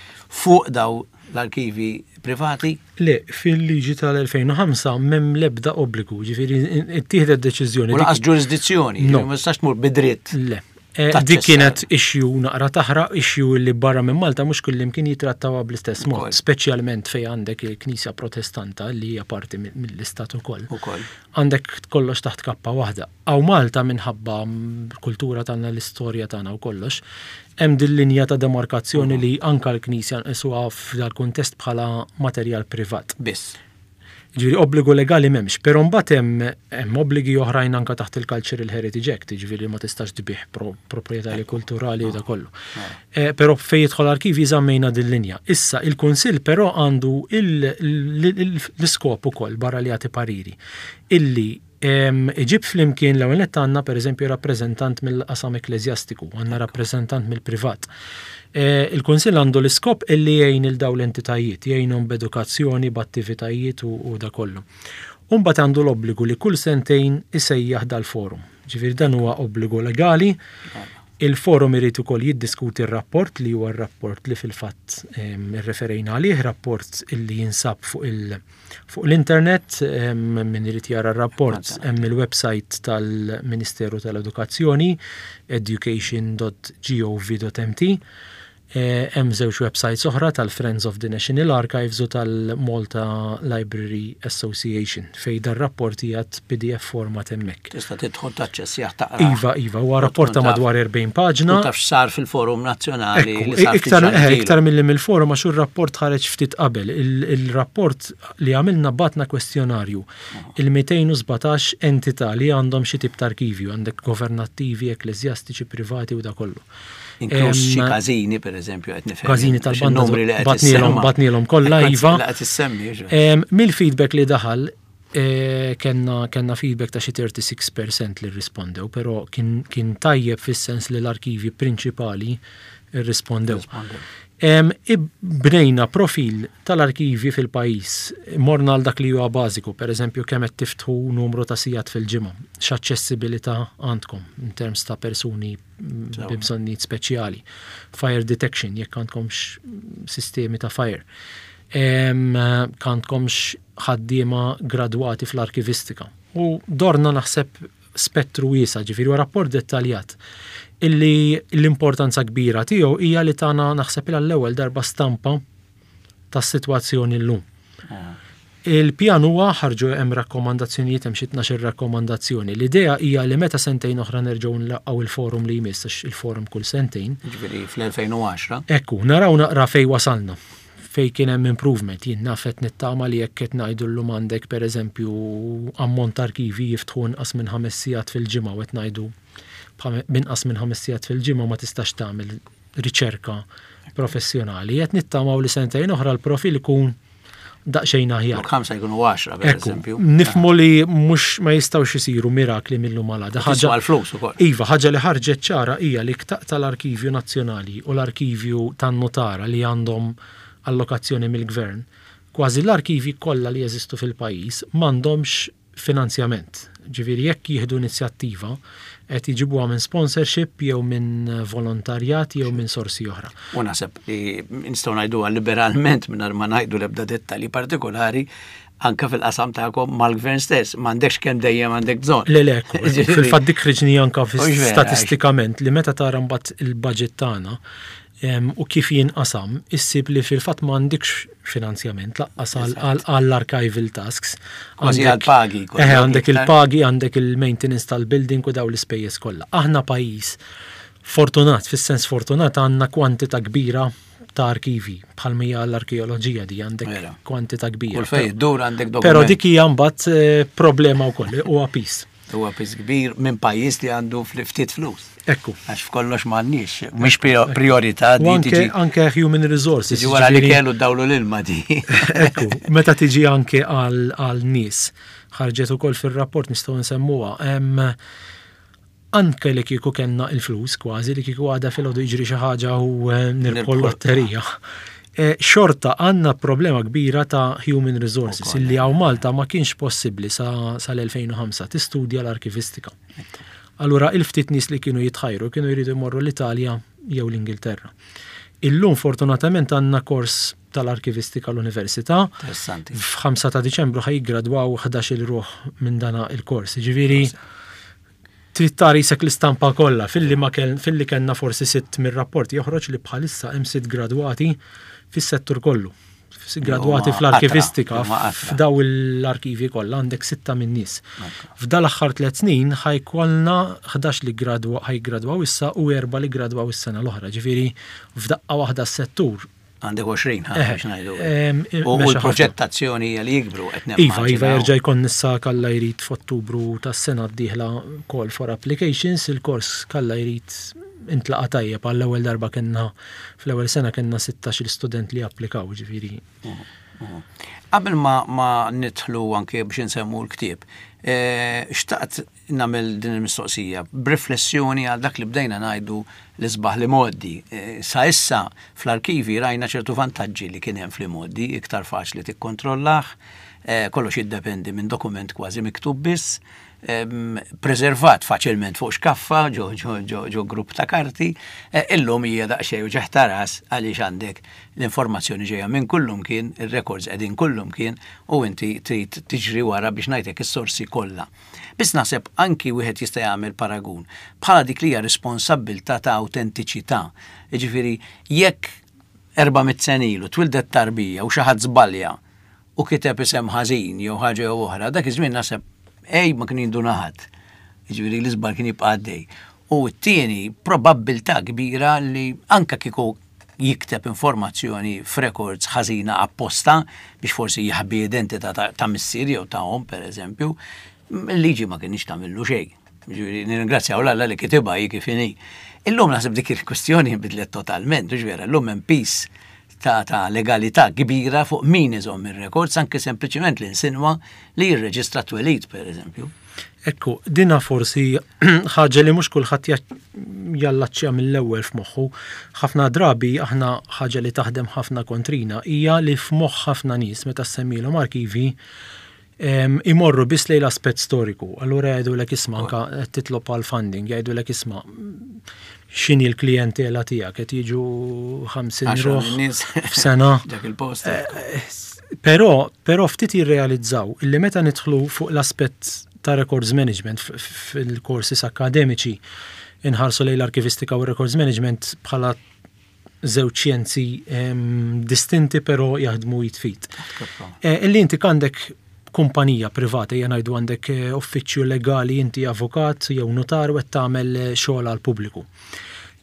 fuq daw l-arkivi privati? Le, fil-liġi tal-2005 m'hemm l-ebda obbligu, ġifieri ittieħdet deċiżjoni. U laqas ġurisdizzjoni, no. ma tistax tmur bidritt. Le. Eh, dik kienet issue naqra taħraq, issue li barra minn Malta mhux kullimkien jitrattawha bl-istess mod, speċjalment fejn għandek il-Knisja Protestanta li hija parti mill-istat ukoll. Għandek kollox taħt kappa waħda. Hawn Malta minħabba l-kultura tagħna, l-istorja tagħna u kollox, hemm din linja ta' demarkazzjoni li anka l-Knisja nqisuha f'dal-kuntest bħala materjal privat. Biss. Jiġifieri obbligu legali m'hemmx, però mbagħad hemm hemm obbligi oħrajn anka taħt il-Cultural Heritage Act, jiġifieri ma tistax tbigħ proprjetarji kulturali u da kollu. Eh, però fejn jidħol arkivji żammejna din linja. Issa il-Kunsill però għandu l-iskop ukoll barra li jagħti pariri illi Iġib flimkien l-ewwel nett għandna pereżempju rappreżentant mill-qasam ekkleżjastiku, għandna rappreżentant mill-privat. E, il-Kunsill għandu l-iskop illi jgħin il dawn l-entitajiet, jgħinhom b'edukazzjoni, b'attivitajiet u da kollu. U mbagħad għandu l-obbligu li kull sentejn isejjaħ dal-forum. Ġifieri dan huwa obbligu legali. Il-forum irid ukoll jiddiskuti r-rapport li huwa r-rapport li fil-fatt irreferejna għalih, rapport illi jinsab fuq il- Fuq l-internet, min irid jara r-rapport, hemm il-website tal-Ministeru tal-Edukazzjoni, education.gov.mt. Eh, hemm żewġ websites oħra tal-Friends of the National Archives u tal-Malta Library Association fejn dar-rapport qiegħed PDF format hemmhekk. Tista' tidħol taċċessjah taqra. Iva, iva, huwa rapport ta' madwar 40 paġna. Taf x'sar fil-Forum Nazzjonali. Iktar eh, iktar milli mill-forum għax ir-rapport ħareġ ftit qabel. Il-rapport li għamilna batna kwestjonarju il-217 entità li għandhom xi tip ta' arkivju, għandek governattivi, ekkleżjastiċi, privati u da kollu. Inkluż xi każini pereżempju qed nifhem. Każini tal-banda batnielhom batnielhom kollha iva. Mill-feedback li daħal eh, kenna kenna feedback ta' xi 36% li rrispondew, però kien tajjeb fis-sens li l-arkivi prinċipali rrispondew. Bnejna profil tal-arkivi fil-pajjiż. Morna għal dak li huwa bażiku, pereżempju kemm qed tiftħu numru ta' sigħat fil-ġimgħa, x'aċċessibilità għandkom in terms ta' persuni bi bżonnijiet speċjali, fire detection jekk għandkomx sistemi ta' fire. Għandkomx ħaddiema gradwati fl-arkivistika. U dorna naħseb spettru wiesa', ġifieri huwa rapport dettaljat illi l-importanza kbira tiegħu hija li tana naħseb għall-ewwel darba stampa tas-sitwazzjoni llum. Il-pjan huwa ħarġu hemm rakkomandazzjonijiet hemm xi 12 rakkomandazzjoni. L-idea hija li meta sentejn oħra nerġgħu nlaqqgħu il-forum li jmiss għax il-forum kull sentejn. Ġifieri fl-2010. Ekku, naraw naqra fejn wasalna fejn kien hemm improvement. Jien naf qed nittama li jekk qed ngħidu llum għandek pereżempju ammont ta' arkivi jiftħu inqas minn ħames sigħat fil-ġimgħa u qed ngħidu b'inqas minn ħames sigħat fil-ġimgħa ma tistax tagħmel riċerka professjonali. Qed nittamaw li sentejn oħra l-profil ikun daqsxejn aħjar. Flok ħamsa jkunu 10 per eżempju. Nifmu li mhux ma jistgħux isiru mirakli mill-lum għal għada. Ħaġa l-flus ukoll. Iva, ħaġa li ħarġet ċara hija li tal-Arkivju Nazzjonali u l-Arkivju tan-Nutara li għandhom allokazzjoni mill-Gvern, kważi l-arkivi kollha li jeżistu fil-pajjiż m'għandhomx finanzjament. Ġifieri jekk jieħdu inizjattiva qed jġibuha minn sponsorship jew minn volontarjat jew minn sorsi oħra. U naħseb li nistgħu ngħiduha liberalment mingħajr ma ngħidu l-ebda dettalji partikolari anke fil-qasam tagħkom mal-gvern stess, m'għandekx kemm dejjem għandek bżonn. Le le, fil-fatt dik ħriġni anke statistikament li meta tara mbagħad il-budget tagħna u kif jinqasam, issib li fil-fatt m'għandikx finanzjament laqqas għall-archival tasks. Kważi għall-pagi. Eh, għandek il-pagi, għandek il-maintenance tal-building u daw l-ispejjeż kollha. Aħna pajjiż fortunat, fis-sens fortunat għandna kwantità kbira ta' arkivi bħal mija l-arkeoloġija di għandek kwantità kbira. Kull fejn dur għandek dokument. Però dik hija mbagħad eh, problema wkoll huwa pis. Huwa piż kbir minn pajjiż li għandu ftit flus. Ekku. Għax f'kollox m'għandniex, mhix priorità di tiġi. Anke human resources. Tiġi wara li kellu dawlu l-ilma di. Ekku, meta tiġi anke għal nies, ħarġet ukoll fir-rapport nistgħu nsemmuha. Anke li kieku kellna il-flus kważi li kieku għada filgħodu jiġri xi ħaġa u eh, nirbħu l-lotterija. Eh, xorta għandna problema kbira ta' human resources illi hawn Malta ma kienx possibbli sa sal-2005 tistudja l-arkivistika. Allura il-ftit nies li kienu jitħajru kienu jridu jmorru l-Italja jew l-Ingilterra. Illum fortunatament għandna kors tal-arkivistika l-Università. Interessanti. F'5 ta' Diċembru ħa jiggradwaw 11-il ruħ minn dana il-kors. Ġifieri trid tara jisek l-istampa kollha filli ma kell filli kellna forsi sitt mir-rapport joħroġ li bħalissa hemm sitt gradwati fis-settur kollu. Gradwati fl-arkivistika f'daw l-arkivi kollha għandek sitta minn nies. F'dal-aħħar tliet snin ħajkollna 11 li gradwa ħajgradwaw issa u erba' li gradwaw is-sena l-oħra. Ġifieri f'daqqa waħda s-settur Għandek 20 ħa biex ngħidu. U l-proġettazzjoni hija li jikbru qed Iva, iva jerġa' jkun issa kalla jrid f'Ottubru tas-sena d-dieħla call for applications, il-kors kalla jrid intlaqa tajjeb għall-ewwel darba kellna fl-ewwel sena kellna 16 student li applikaw ġifieri. Qabel ma, ma nidħlu anke biex insemmu l-ktieb, eh, xtaqt nagħmel din il-mistoqsija b'riflessjoni għal dak li bdejna ngħidu l-isbaħ l-imgħoddi. Sa issa fl-arkivi rajna ċertu vantaġġi li kien hemm fl-imgħoddi, iktar faċli tikkontrollah, kollox jiddependi minn dokument kważi miktub biss, preservat faċilment fuq xkaffa ġo ġo ġo ġo grupp ta' karti, illum hija daqsxejn uġigħ ta' ras għaliex għandek l-informazzjoni ġejja minn kullumkien, ir-records qegħdin kullumkien u inti trid tiġri wara biex ngħidlek is-sorsi kollha. Biss naħseb anki wieħed jista' jagħmel paragun bħala dik li hija responsabbiltà ta' awtentiċità. Jiġifieri jekk 400 sena ilu twildet tarbija u xi ħadd żbalja u kiteb isem ħażin jew ħaġa jew oħra, dak iż-żmien naħseb ej ma kien jinduna ħadd. Jiġifieri l-iżball kien jibqa' għaddej. U t-tieni probabbiltà kbira li anke kieku jikteb informazzjoni f'records ħażina apposta biex forsi jaħbi identità ta' missier jew ta' omm pereżempju, il-liġi ma kinitx tagħmillu xejn. Jiġifieri nirringrazzjaw 'l Alla li kitibha hi kif inhi. Illum naħseb dik il-kwistjoni nbidlet totalment, hux vera, illum hemm piż ta' ta' legalità kbira fuq min iżomm ir-records anke sempliċement li nsinwa li jirreġistra t-twelid pereżempju. Ekku, dina forsi ħaġa li mhux kulħadd jallaċċja mill-ewwel f'moħħu. Ħafna drabi aħna ħaġa li taħdem ħafna kontrina hija li f'moħħ ħafna nies meta ssemmilhom arkivi imorru biss lejn l-aspett storiku. Allura jgħidulek isma' anka qed titlob għal funding, jgħidulek isma' x'inhi l-klijentela tiegħek qed jiġu 50 ruħ f'sena. Dak il-post. Però, però ftit jirrealizzaw illi meta nidħlu fuq l-aspett ta' records management fil-courses akademiċi inħarsu lejn l-arkivistika u records management bħala żewġ xjenzi distinti però jaħdmu id f'id. Illi inti għandek kumpanija privata, ejja ngħidu għandek uffiċċju legali, inti avukat jew notar u qed tagħmel xogħol għal pubbliku.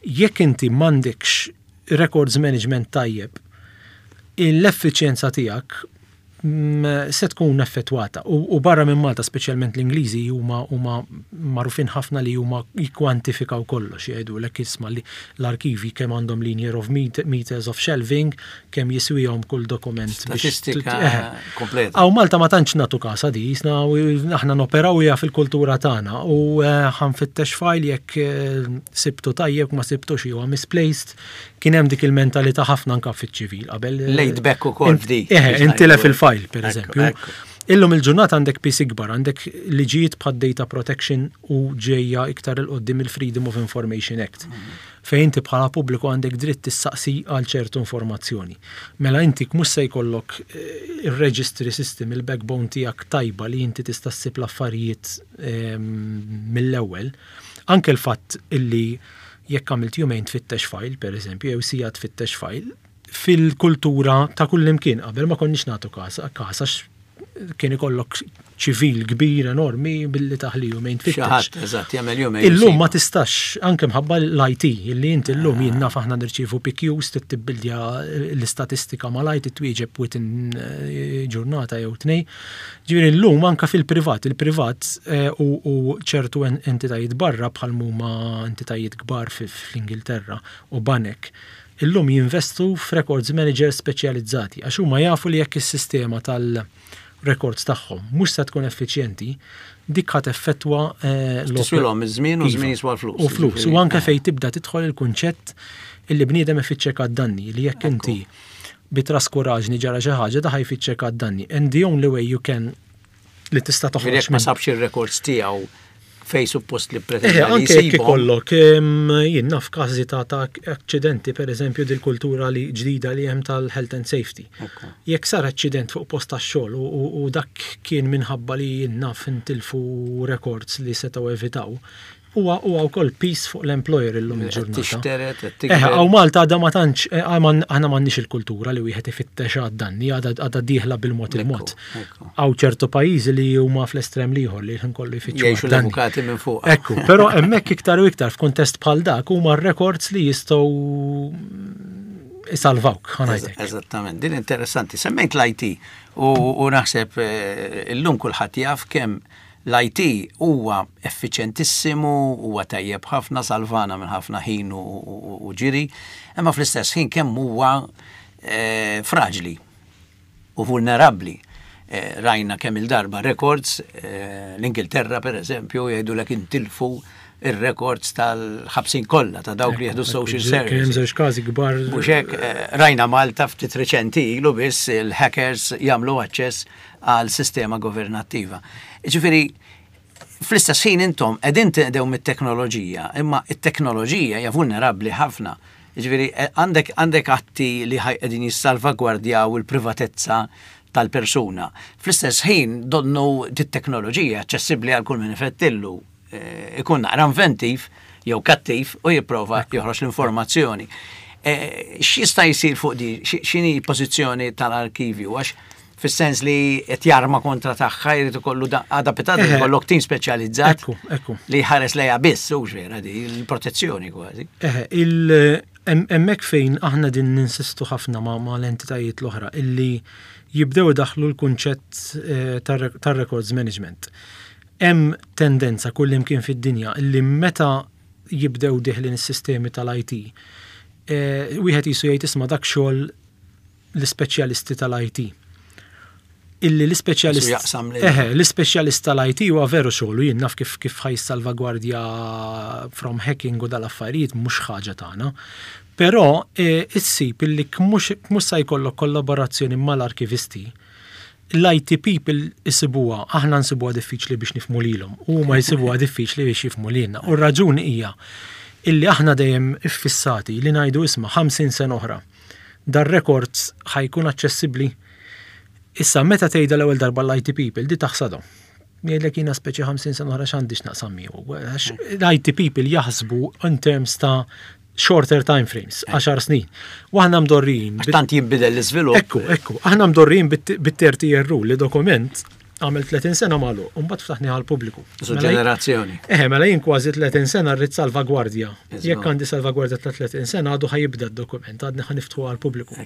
Jekk inti m'għandekx records management tajjeb, l-effiċjenza tiegħek se tkun effettwata. U barra minn Malta, speċjalment l-Ingliżi, huma magħrufin ħafna li huma jikkwantifikaw kollox, jgħidulek isma' li l-arkivi kemm għandhom linear of meters of shelving, kemm jiswihom kull dokument. Statistika kompleta. Hawn Malta ma tantx nagħtu kasha di, jisna aħna noperaw hija fil-kultura tagħna u ħa nfittex file jekk sibtu tajjeb ma sibtux huwa misplaced. Kien hemm dik il-mentalità ħafna anka fiċ-ċivil qabel. Laid back ukoll f'dik. Intilef il-file, per eżempju. Illum il-ġurnata għandek piż ikbar, għandek liġijiet bħad data protection u ġejja iktar 'il quddiem il-Freedom of Information Act. Fejn inti bħala pubbliku għandek dritt tissaqsi għal ċertu informazzjoni. Mela inti mhux se jkollok il-registry system, il-backbone tiegħek tajba li inti tista' ssib l-affarijiet mill-ewwel. Anke l-fatt illi jekk għamilt jumejn tfittex file, per eżempju, jew siegħa tfittex file, fil-kultura ta' kull imkien qabel ma konniex nagħtu kas għax kien ikollok ċivil kbir enormi billi taħli jumejn tfittex. Xi ħadd, eżatt, jagħmel jumejn. Illum ma tistax, anke mħabba l-IT, illi inti illum jien naf aħna nirċievu PQs, tibbildja l-istatistika mal-IT twieġeb within ġurnata jew tnej. Ġifieri llum anke fil-privat, il-privat u ċertu entitajiet barra bħal huma entitajiet kbar fl-Ingilterra u banek, illum jinvestu f'records managers speċjalizzati għax huma jafu li jekk is-sistema tal-records tagħhom mhux se tkun effiċjenti, dik ħa teffettwa Tiswilhom iż-żmien u żmien jiswa l-flus. U flus. U anke fejn tibda tidħol il-kunċett illi bniedem ifittxek għad-danni li jekk inti bi traskuraġni ġara xi ħaġa da ħa jfittxek għad-danni. And the only way you can li tista' toħroġ. Jekk ma sabx ir-records tiegħu fej suppost li pretenda li anke jekk ikollok jien naf każi ta' aċċidenti pereżempju dil-kultura li ġdida li hemm tal-health and safety. Jekk sar aċċident fuq post tax-xogħol u dak kien minħabba li jien naf intilfu records li setgħu evitaw, huwa wkoll piż fuq l-employer illum il-ġurnata. Tixteret, Hawn Malta għadha ma tantx, aħna m'għandniex il-kultura li wieħed ifittex għad-danni, għadha dieħla bil-mod il-mod. Hawn ċertu pajjiżi li huma fl-estrem l-ieħor li l-ħin kollu jfittxu Jgħixu għad-danni. l-avukati minn fuq. Ekku, però hemmhekk iktar u iktar f'kuntest bħal dak huma r-records li jistgħu isalvawk, ħa ngħidlek. Eżattament, din interessanti. Semmejt l-IT u naħseb illum kulħadd jaf kemm l-IT huwa effiċjentissimu, huwa tajjeb ħafna, salvana minn ħafna ħin u ġiri, imma fl-istess ħin kemm huwa fraġli u vulnerabbli. Rajna kemm il-darba records, l-Ingilterra per eżempju, jgħidulek intilfu ir-records tal-ħabsin kollha ta' dawk li jieħdu social Kien hemm services. żewġ każi kbar. Mhux hekk, rajna Malta ftit reċenti ilu biss il-hackers jagħmlu aċċess għal sistema governattiva. Ġifieri, fl-istess ħin intom qegħdin tinqdew mit-teknoloġija, imma it-teknoloġija hija vulnerabbli ħafna. Ġifieri, għandek atti li qegħdin jissalvagwardjaw il-privatezza tal-persuna. Fl-istess ħin donnu dit-teknoloġija aċċessibbli għal kull min ifettillu, ikun naqra inventiv jew kattiv u jipprova joħroġ l-informazzjoni. X'jista' jsir fuq di? X'inhi pożizzjoni tal-arkivju? Għax fis-sens li qed jarma kontra tagħha jrid ikollu għada pitgħada jkollok tim speċjalizzat li ħares lejha biss, hux vera di l-protezzjoni kważi. Eħe, hemmhekk fejn aħna din ninsistu ħafna ma' l-entitajiet l-oħra illi jibdew idaħħlu l-kunċett tar-records management. Hemm tendenza kull imkien fid-dinja illi meta jibdew diħlin is-sistemi tal-IT, wieħed jisu jgħid isma' dak xogħol l-ispeċjalisti tal-IT. Illi l-ispeċjalist Jisu jaqsam li- Eħe, l-ispeċjalist tal-IT huwa veru xogħlu, jien naf kif ħa jissalvagwardja from hacking u dal-affarijiet mhux ħaġa tagħna. Però issib illi mhux se jkollok kollaborazzjoni mal-arkivisti, l-IT people isibuha, aħna nsibuha diffiċli biex nifhmu lilhom, u huma jsibuha diffiċli biex jifhmu lilna. U r-raġuni hija illi aħna dejjem iffissati li ngħidu isma' 50 sena oħra. Dar-records ħa jkun aċċessibbli. Issa meta tgħidha l-ewwel darba l-IT people di taħsadhom. Jgħidlek jiena speċi 50 sena oħra x'għandi x'naqsam miegħu. Għax l-IT people jaħsbu in terms ta' shorter time frames, 10 snin. U aħna mdorrijin. Għax tant jinbidel l-iżvilupp. Ekku, ekku, aħna mdorrijin bit-30 year rule li dokument għamel 30 sena magħluq, u mbagħad ftaħni għall-pubbliku. Su mela ġenerazzjoni. Eħe, mela jien kważi 30 sena rrid salvagwardja. Jekk għandi salvagwardja ta' 30 sena għadu ħajibda d-dokument, għadni ħaniftħu għall-pubbliku.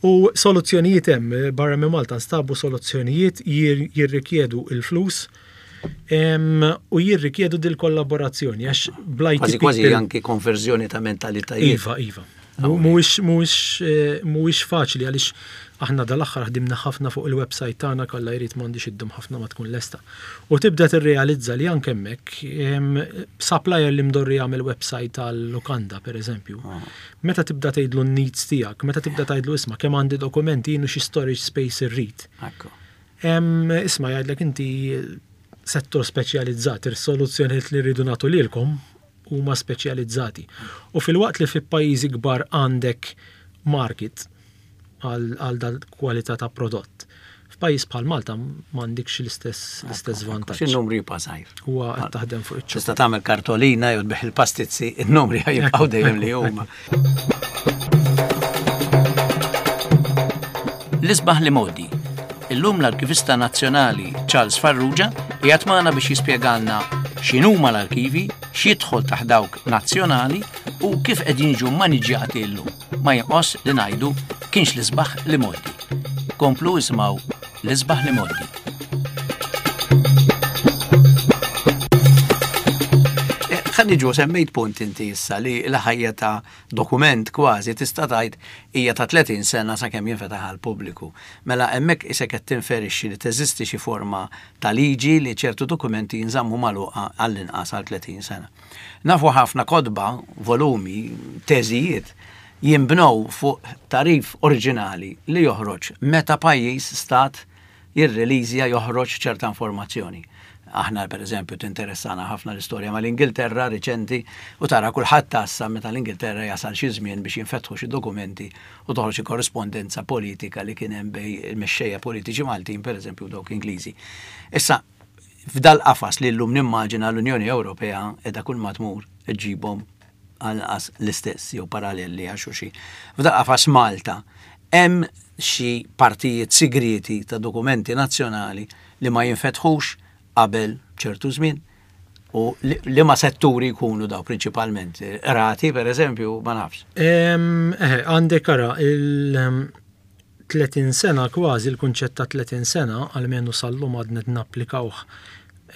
U soluzzjonijiet hemm, barra minn Malta nstabu soluzzjonijiet jirrikjedu il-flus u jirrikjedu dil-kollaborazzjoni għax blajt. Kważi kważi anki konverżjoni ta' mentalitajiet. Iva, iva. Mhuwiex faċli għaliex aħna dal-aħħar ħdimna ħafna fuq il-website tagħna kalla jrid m'għandix iddum ħafna ma tkun lesta. U tibda tirrealizza li anke hemmhekk supplier li mdorri jagħmel website tal-lukanda pereżempju, Meta tibda tgħidlu n-needs tiegħek, meta tibda tgħidlu isma' kemm għandi dokumenti jien u xi storage space irrid. Isma' jgħidlek inti settur speċjalizzat, ir-soluzzjonijiet li rridu nagħtu lilkom huma speċjalizzati. U filwaqt li fi pajjiżi kbar għandek market, għal dal kwalità ta' prodott. F'pajjiż bħal Malta m'għandikx l-istess l-istess vantaġġ. In-numri jibqa' żgħir. Huwa qed taħdem fuq iċ Tista' tagħmel kartolina jew tbigħ il-pastizzi, in-numri jibqgħu dejjem li huma. L-isbaħ li modi. Illum l-Arkivista Nazzjonali Charles Farrugia qiegħed magħna biex jispjegalna x'inhuma l-arkivi, x'jidħol taħt dawk nazzjonali u kif qegħdin jiġu maniġġjati llum. Ma jonqos li ngħidu kienx l-isbaħ l-imgħoddi. Komplu isimgħu l-isbaħ l-imgħoddi. Eh, ħa niġu semmejt punt inti issa li l-ħajja ta' dokument kważi tista' tgħid hija ta' 30 sena sakemm jinfetaħ għal pubbliku. Mela hemmhekk isek qed tinferixxi li teżisti xi forma ta' liġi li ċertu dokumenti jinżammu magħluqa għall-inqas għal 30 sena. Nafu ħafna kotba, volumi, teżijiet jinbnew fuq tagħrif oriġinali li joħroġ meta pajjiż, stat, jirreliżja, joħroġ ċerta informazzjoni. Aħna per eżempju tinteressana ħafna l-istorja mal-Ingilterra riċenti u tara kulħadd tassa meta l-Ingilterra jasal xi żmien biex jinfetħu xi dokumenti u toħroġ xi korrispondenza politika li kien hemm bejn il-mexxejja politiċi Maltin per eżempju u dawk Ingliżi. Issa, F'dal-qafas li llum nimmaġina l-Unjoni Ewropea qiegħda kull ma tmur iġġibhom għall-inqas l-istess jew paralleli għal xulxin. F'dal-qafas Malta hemm xi partijiet sigrieti ta' dokumenti nazzjonali li ma jinfetħux qabel ċertu żmien u liema setturi jkunu daw prinċipalment? Qrati pereżempju, ma nafx. Eħe, għandek ara il- 30 sena kważi, il-kunċett ta' 30 sena, almenu sal-lum għadna qed napplikawh.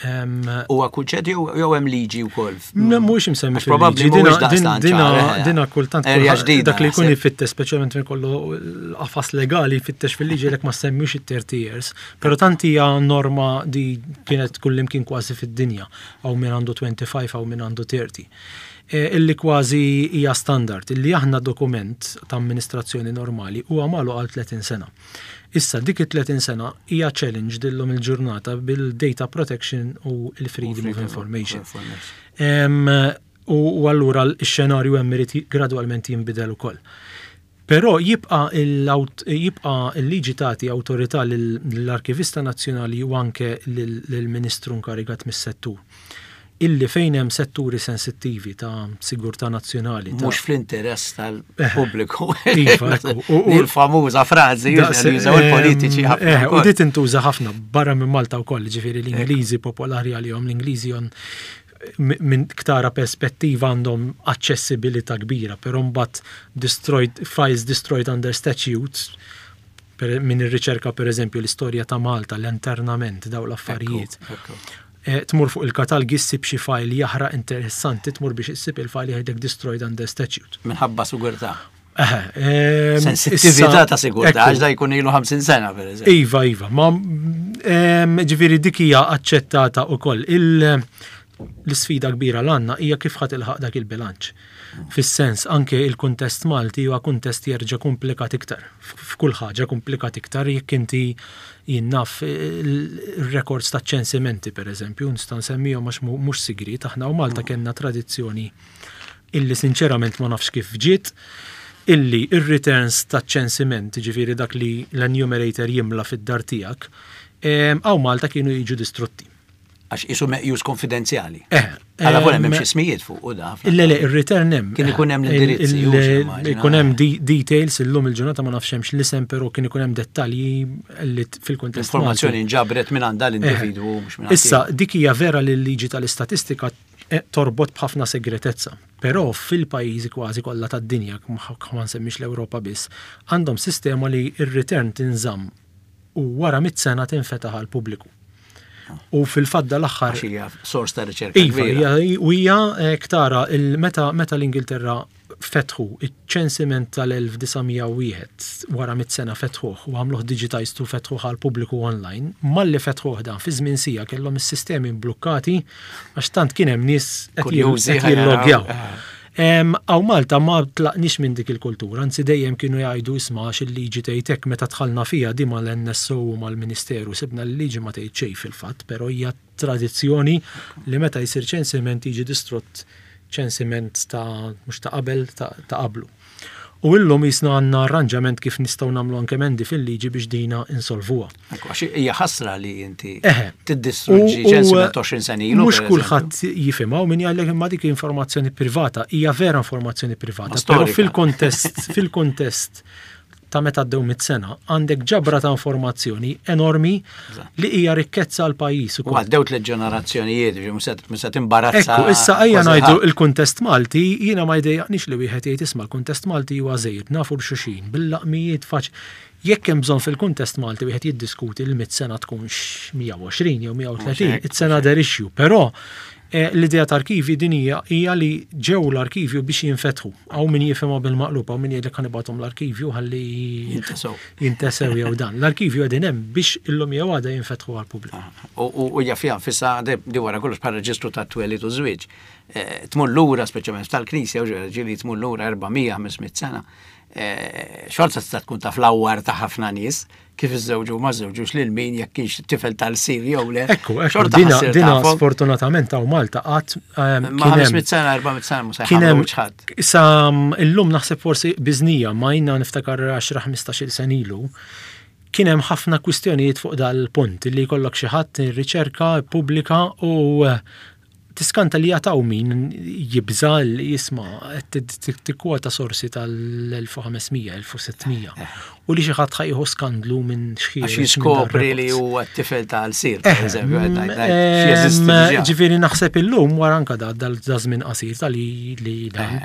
Huwa kunċett jew hemm liġi wkoll? Mhuwiex imsemmi fil-liġi. Dina eh. dina kultant dak li jkun jfittex speċjalment minn kollu l-qafas legali jfittex fil-liġi lek ma semmux it-30 years. Però tant hija norma di kienet kullimkien kważi fid-dinja, hawn min għandu 25 hawn min għandu 30. Illi kważi hija standard, illi aħna dokument ta' amministrazzjoni normali huwa magħluq għal 30 sena. Issa dik it-30 sena hija challenged illum il-ġurnata bil-data protection u l-freedom of information. U allura x-xenarju hemm irid gradwalment jinbidel ukoll. Però jibqa' jibqa' l-liġi tagħti awtorità lill-Arkivista Nazzjonali u anke lill-Ministru inkarigat mis-settur illi fejn hemm setturi sensittivi ta' sigurtà nazzjonali. Mhux fl-interess tal-pubbliku. Iva, Il-famuża frażi jużaw il-politiċi ħafna. U di tintuża ħafna barra minn Malta wkoll, ġifieri l-Ingliżi popolari għalihom, l-Ingliżi minn ktara perspettiva għandhom aċċessibilità kbira, però mbagħad destroyed, files destroyed under statute, per, min irriċerka per eżempju l-istorja ta' Malta, l-internament, daw l-affarijiet. Eh, tmur fuq il-katalgi ssib xi file jaħraq interessanti, tmur biex issib il-file jgħidlek destroyed under statute. Minħabba sigurtà. Sensittività ta' sigurtà, għax da jkun ilu 50 sena, per eżempju. Iva, iva, ma ġifieri dik hija aċċettata wkoll. L-isfida kbira l-għandna hija kif ħa tilħaq dak il-bilanċ. Fis-sens, anke il-kuntest Malti huwa kuntest jerġa' komplikat iktar. F'kull ħaġa komplikat iktar jekk inti jien naf il-records ta' ċensimenti, per eżempju, nista' nsemmihom għax mhux sigriet, aħna u Malta kellna tradizzjoni illi sinċerament ma nafx kif ġiet, illi r-returns taċ-ċensiment, jiġifieri dak li l-enumerator jimla fid-dar tiegħek, hawn Malta kienu jiġu distrutti. Għax isu meqjus konfidenzjali. Eh, Għala volja m'hemmx ismijiet fuq u da. Le, le, ir-return hemm. Kien ikun hemm l-indirizzi. Ikun hemm details illum il-ġurnata ma nafx hemmx l-isem però kien ikun hemm dettalji li fil-kuntest. Informazzjoni nġabret minn għandha l-individwu mhux minn Issa dik hija vera li l-liġi tal-istatistika eh, torbot b'ħafna segretezza. Però fil-pajjiżi kważi kollha tad-dinja, ma nsemmix l-Ewropa biss, għandhom sistema li r-return tinżamm u wara mit sena tinfetaħ għall-pubbliku. U fil-fatt dal-aħħar. Għax hija sors ta' riċerka. Iva, u hija eh, ktara meta meta l-Ingilterra fetħu iċ-ċensiment tal-1901 wara mit sena fetħuh u għamluh digitized u fetħuh għal pubbliku online, malli fetħuh dan fi żmien sija kellhom is-sistemi mblukkati għax tant kien hemm nies qed jillogjaw. Eh. Hawn Malta ma tlaqniex minn dik il-kultura, anzi dejjem kienu jgħidu isma' għax il-liġi tgħid hekk meta dħalna fiha di mal-NSO u mal-Ministeru sibna li l-liġi ma tgħid xejn fil-fatt, però hija tradizzjoni li meta jsir ċensiment jiġi distrott ċensiment ta' mhux ta' qabel ta' qablu. U illum qisna għandna arranġament kif nistgħu nagħmlu anke emendi fil-liġi biex dina insolvuha. Ekku, għax hija ħasra li inti tiddistruġġi ċensiment 20 sena ilu. Mhux kulħadd jifhimha u min jgħidlek imma dik informazzjoni privata, hija vera informazzjoni privata, però fil-kontest fil-kontest ta' meta għaddew mit sena, għandek ġabra ta' informazzjoni enormi li hija rikkezza għal pajjiż ukoll. U għaddew tliet ġenerazzjonijiet, mhux se timbarazza. Ekku, issa ejja ngħidu l-kuntest Malti, jiena ma jdejjaqnix li wieħed jgħid isma' l-kuntest Malti huwa żgħir, nafu l-xuxin, bil-laqmijiet faċ. Jekk hemm bżonn fil-kuntest Malti wieħed jiddiskuti l mit sena tkunx 120 jew 130, it's another issue, però eh, l-idea ta' arkivi din hija hija li ġew l-arkivju biex jinfetħu. Hawn min jifhimha bil-maqlub, hawn min jgħidlek ħa nibgħathom l-arkivju ħalli jintesew. Jintesew jew dan. L-arkivju qegħdin hemm biex illum jew għada jinfetħu għall-pubbliku. U hija fiha nfisha di wara kollox bħal reġistru tat-twelid u żwieġ. Eh, tmur lura speċjalment tal-Knisja u ġieli tmur lura 400-500 sena. Eh, xorta tista' tkun taf l-awwar ta' ħafna nies kif iżżewġu ma żewġux lil min jekk kienx tifel tal-sir jew le. Ekku, ekku, dina, dina sfortunatament hawn Malta qatt ehm, ma 500 sena, 400 sena mhux kien hemm ħadd. Sa mm, illum naħseb forsi biżnija ma jina niftakar 10-15 sen ilu kien hemm ħafna kwistjonijiet fuq dal-punt li jkollok xi ħadd riċerka pubblika u eh, Tiskanta li għad hawn min jibża' li jisma' qed tikkwota sorsi tal-1500, 1600 u li xi ħadd ħa jieħu skandlu minn xi. Għax jiskopri li huwa t-tifel ta' Alsir, pereżempju, qed ngħid. Ġifieri naħseb illum wara anke da żmien qasir ta' li dan.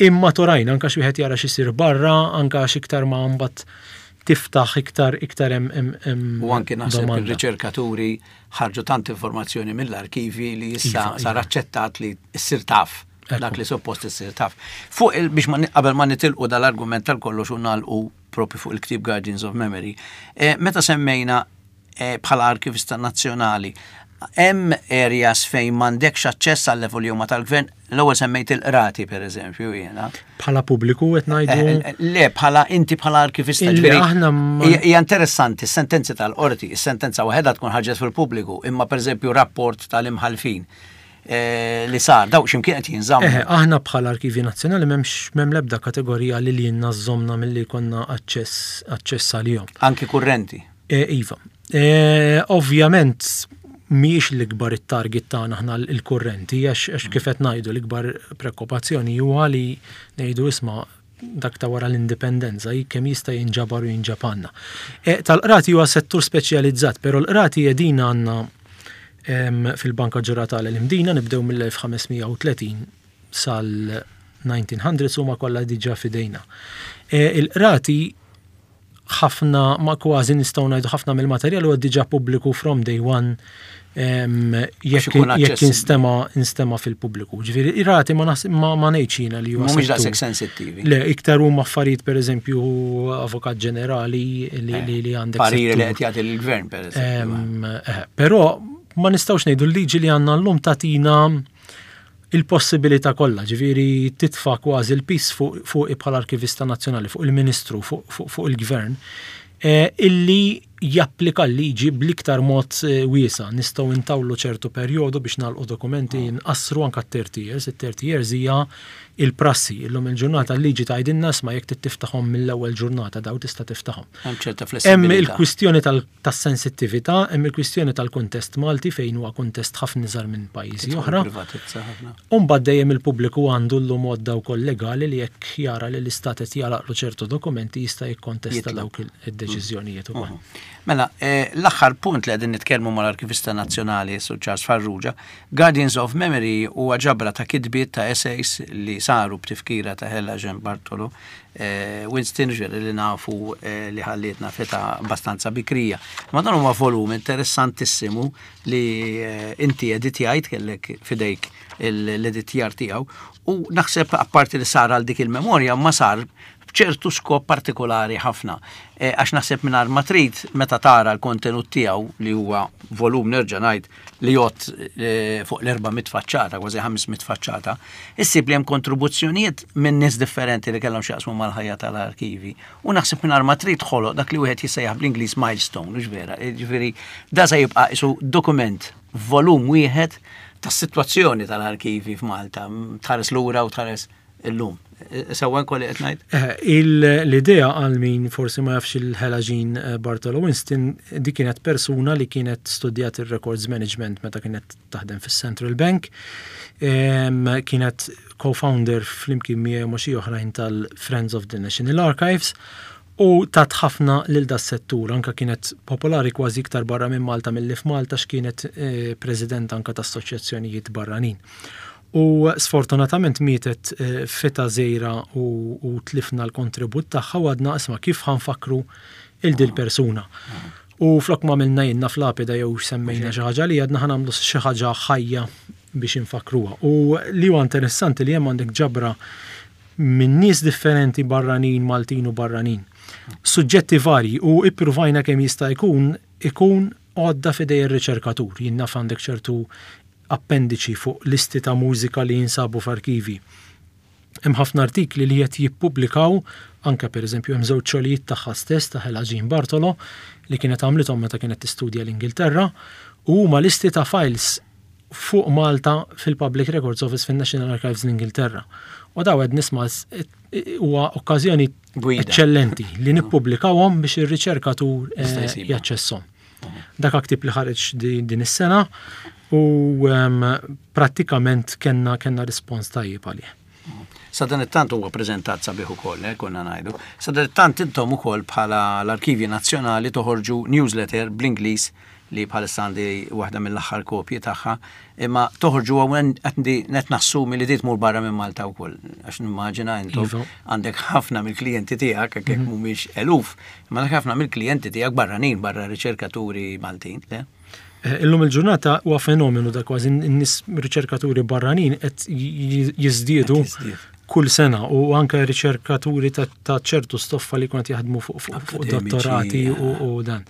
Imma torajna anke xi wieħed jara x'isir barra, anke għax iktar ma mbagħad tiftaħ iktar iktar hemm. U anke naħseb ir-riċerkaturi ħarġu tant informazzjoni mill-arkivi li issa iva, sar iva. aċċettat li ssir taf dak li suppost issir taf. Fuq biex ma qabel ma nitilqu dal-argument tal-kollox u nagħlqu propju fuq il-ktieb Guardians of Memory. Eh, meta semmejna eh, bħala arkivista nazzjonali, hemm areas fejn m'għandekx aċċess għal level huma tal-gvern, l-ewwel semmejt il-qrati pereżempju jiena. Bħala pubbliku qed ngħidu. Eh, eh, le, bħala inti bħala arkivista ġifieri. Aħna hija interessanti s-sentenzi tal-qorti, is-sentenza waħedha tkun ħarġet fil-pubbliku, imma pereżempju rapport tal-imħalfin eh, li sar, daw x'imkien qed jinżammu. Aħna bħala Arkivji Nazzjonali m'hemmx m'hemm l-ebda kategorija li lilna żżommna milli jkollna aċċess aċċess għalihom. Anki kurrenti. Iva. Ovvjament mhijiex l-ikbar it-target tagħna aħna l-kurrenti għax kif qed ngħidu l-ikbar preokkupazzjoni huwa li ngħidu isma' dak ta' wara l-indipendenza kemm jista' jinġabar u jinġab għandna. E, tal-qrati huwa settur speċjalizzat, però l-qrati qegħdin għandna fil-Banka Ġuratali l-Imdina nibdew mill-1530 sal-1900s huma kollha diġà f'idejna. E, il-qrati ħafna ma kważi nistgħu ngħidu ħafna mill-materjal huwa diġà pubbliku from day one jekk instema instema fil-pubbliku. Ġifieri ir-rati ma ma ngħidx jiena li huwa. Mhumiex daqshekk sensittivi. Le, iktar huma affarijiet pereżempju avukat ġenerali li eh, li għandek. Pariri li qed jagħti lill-gvern pereżempju. Eh, però ma nistgħux ngħidu l-liġi li għandna llum tagħtina il-possibilità kollha, ġifieri titfa' kważi l-piż fuqi bħala Arkivista Nazzjonali, fuq il-Ministru, fuq il-Gvern, eh, illi japplika l-liġi bl-iktar mod eh, wiesa'. Nistgħu ntawlu ċertu perjodu biex nagħlqu dokumenti ah. nqassru anke 30 years. It-30 years hija il-prassi. Illum il-ġurnata l-liġi tgħidilna isma' jekk trid tiftaħhom mill-ewwel ġurnata daw tista' tiftaħhom. Hemm ċerta Hemm il-kwistjoni tas-sensittività, hemm il-kwistjoni tal-kuntest Malti fejn huwa kuntest ħafna iżgħar minn pajjiżi oħra. U mbagħad dejjem il-pubbliku għandu llum għodda wkoll legali li jekk jara li l-Istat qed jagħlaqlu ċertu dokumenti jista' jikkontesta dawk id-deċiżjonijiet ukoll. Mela, eh, l-aħħar punt li qegħdin nitkellmu mal-Arkivista Nazzjonali Sur Charles Farrugia, Guardians of Memory huwa ġabra ta' kitbiet ta' essays li saru b'tifkira ta' Hella Jean Bartolo, eh, Winston ġieli li nafu eh, li ħallietna feta abbastanza bikrija. Ma dan huwa volum interessantissimu li eh, inti editjajt kellek fidejk l-editjar tiegħu u naħseb apparti li sar għal dik il-memorja ma sar b'ċertu skop partikolari ħafna. Eh, għax naħseb mingħajr ma trid meta tara l-kontenut tiegħu li huwa volum nerġa' ngħid li jgħod eh, fuq l-400 faċċata, kważi 500 faċċata, issib li hemm kontribuzzjonijiet minn nies differenti li kellhom x'jaqsmu mal-ħajja tal-arkivi. U naħseb mingħajr ma trid ħoloq dak li wieħed jissejjaħ bl-Ingliż milestone, mhux vera. Jiġifieri da se jibqa' isu dokument volum wieħed tas-sitwazzjoni tal-arkivi f'Malta, tħares lura u tħares illum. Sewwa nkolli qed ngħid? Eh, l-idea għal min forsi ma jafx il-Hela Jean eh, Bartolo Winston, di kienet persuna li kienet studjat il-records management meta kienet taħdem fis-Central Bank. Kienet co-founder flimkien miegħi ma' xi oħrajn tal-Friends of the National Archives u tat ħafna lil das-settur, anka kienet popolari kważi iktar barra minn Malta milli f'Malta x'kienet eh, president anka ta' assoċjazzjonijiet barranin. U sfortunatament mietet eh, feta żgħira u, u tlifna l-kontribut tagħha u għadna isma' kif ħanfakru il dil persuna. U flok ma għamilna jenna f'lapida jew semmejna xi ħaġa li għadna ħa nagħmlu xi ħaġa ħajja biex infakruha. U li huwa interessanti li hemm għandek ġabra minn nies differenti barranin, Maltin u barranin. Suġġetti varji u ippruvajna kemm jista' jkun ikun għodda f'idej ir-riċerkatur. Jien naf għandek ċertu appendiċi fuq listi ta' mużika li jinsabu f'arkivi. Hemm ħafna artikli li qed jippubblikaw anke pereżempju hemm żewġ xogħlijiet tagħha stess ta' Hela Jean Bartolo li kienet għamlithom meta kienet tistudja l-Ingilterra u huma listi ta' files fuq Malta fil-Public Records Office fin-National Archives l-Ingilterra. U daw qed nisma' huwa okkażjoni eċċellenti li nippubblikawhom biex ir-riċerkatur eh, jaċċesshom. Dak ktieb li ħareġ din is-sena u ehm, prattikament kellna kellna rispons tajjeb għalih. Sadanittant huwa preżentat sabiħ ukoll, eh, konna ngħidu. Sadanittant intom ukoll bħala l-Arkivji Nazzjonali toħorġu newsletter bl-Ingliż li bħalissa għandi waħda mill-aħħar kopji tagħha, imma toħorġu hawn qed nassumi li di tmur barra minn Malta wkoll, għax nimmaġina intom iva. għandek ħafna mill-klijenti tiegħek jekk mhm. mhumiex eluf, Imma dak ħafna mill-klijenti tiegħek barranin barra riċerkaturi Maltin, le? Eh, illum il-ġurnata huwa fenomenu da kważi n-nies riċerkaturi barranin qed jiżdiedu kull sena u anke riċerkaturi ta' ċertu stoffa li kont jaħdmu fuq dottorati u dan.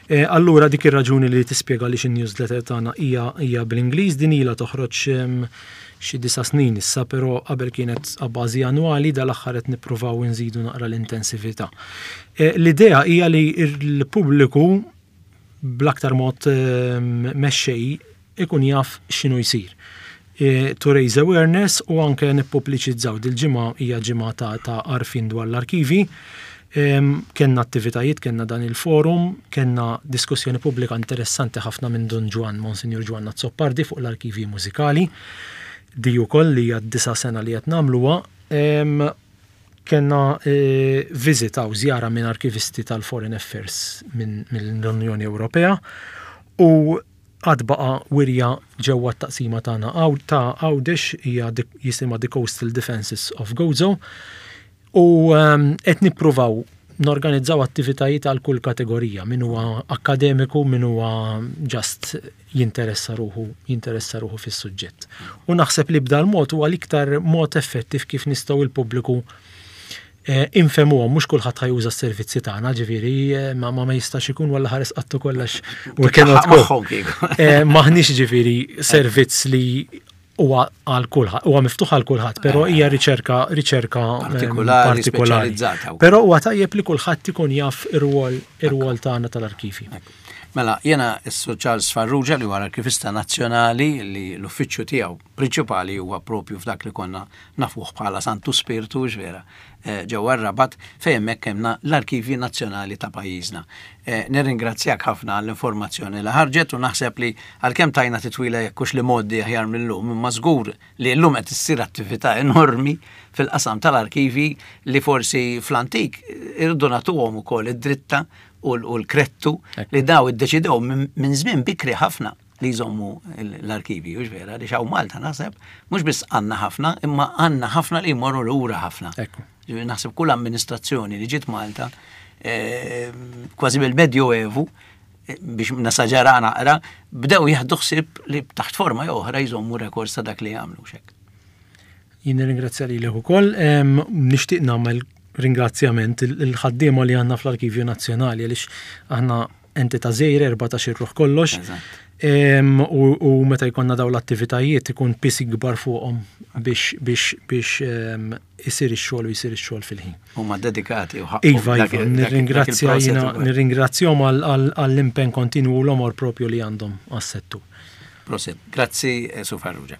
Eh, allura dik ir-raġuni li tispjega li xin-newsletter tagħna hija bl-Ingliż din ilha toħroġ xi disa' snin issa, però qabel kienet a bażi annwali, dal-aħħar qed nippruvaw inżidu naqra l-intensività. Eh, l-idea hija li l-pubbliku bl-aktar mod ehm, mexxej ikun jaf x'inhu jsir. Eh, to raise awareness u anke nippubbliċizzaw dil-ġimgħa hija ġimgħa ta' għarfien dwar l-arkivi. Kenna attivitajiet, kenna dan il-forum, kenna diskussjoni pubblika interessanti ħafna minn Dun Ġwann, Monsinjur Ġwann Azzopardi fuq l-arkivji mużikali. Di wkoll li hija d-disa' sena li qed nagħmluha. Kenna e, viżita u żjara minn arkivisti tal-Foreign Affairs mill-Unjoni Ewropea u għad baqa' wirja ġewwa t-taqsima tagħna ta' Għawdex hija jisimha The Coastal Defences of Gozo. U ehm, qed nippruvaw norganizzaw attivitajiet għal kull kategorija, min huwa akkademiku, min huwa just jinteressa ruħu, jinteressa ruħu fis-suġġett. U naħseb li b'dal mod huwa l-iktar mod effettiv kif nistgħu il-pubbliku eh, infemuhom, mhux kulħadd ħa juża s-servizzi tagħna, ġifieri eh, ma ma jistax ikun walla ħares qattu kollox u cannot go. Eh, maħniex ġifieri servizz li Huwa għal kulħadd, huwa miftuħ għal kulħadd, però hija riċerka riċerka partikolari, speċjalizzata. Però huwa tajjeb li kulħadd ikun jaf ir-rwol ir-rwol tagħna tal-arkivi. Mela, jiena s-Sur Charles Farrugia li huwa l-Arkivista Nazzjonali li l-uffiċċju tiegħu prinċipali huwa propju f'dak li konna nafuh bħala Santu Spirtu, vera, ġewwa r-Rabat, fejn hemmhekk hemmna l-Arkivji Nazzjonali ta' pajjiżna. Nirringrazzjak ħafna għall-informazzjoni li ħarġet u naħseb li għalkemm tajna titwila jekk hux l-imgħoddi aħjar mil-lum, imma żgur li llum qed issir attività enormi fil-qasam tal-arkivi li forsi fl-antik irridu nagħtuhom ukoll id-dritta u l-krettu li daw iddeċidew minn żmien bikri ħafna li jżommu l-arkivi, hux vera, li hawn Malta naħseb, mhux biss għandna ħafna, imma għandna ħafna li jmorru lura ħafna. Naħseb kull amministrazzjoni li ġiet Malta, eh, kważi bil-Medjoevu, eh, biex nasaġara naqra, bdew jieħdu ħsieb li taħt forma jew oħra jżommu rekords ta' dak li jagħmlu xek. Jien nirringrazzja lilek ukoll, nixtieq nagħmel ringrazzjament il-ħaddiema li għandna fl-Arkivju Nazzjonali għaliex aħna entità żgħira 14 ruħ kollox. U meta jkollna dawn l-attivitajiet ikun pis ikbar fuqhom biex biex biex isir ix-xogħol u jsir ix-xogħol fil-ħin. Huma dedikati u ħaqqhom. Iva, iva, nirringrazzja jiena nirringrazzjahom għall-impenn kontinwu u l-għomor propju li għandhom għas-settur. Prosit. Grazzi, eh, Su Farrugia.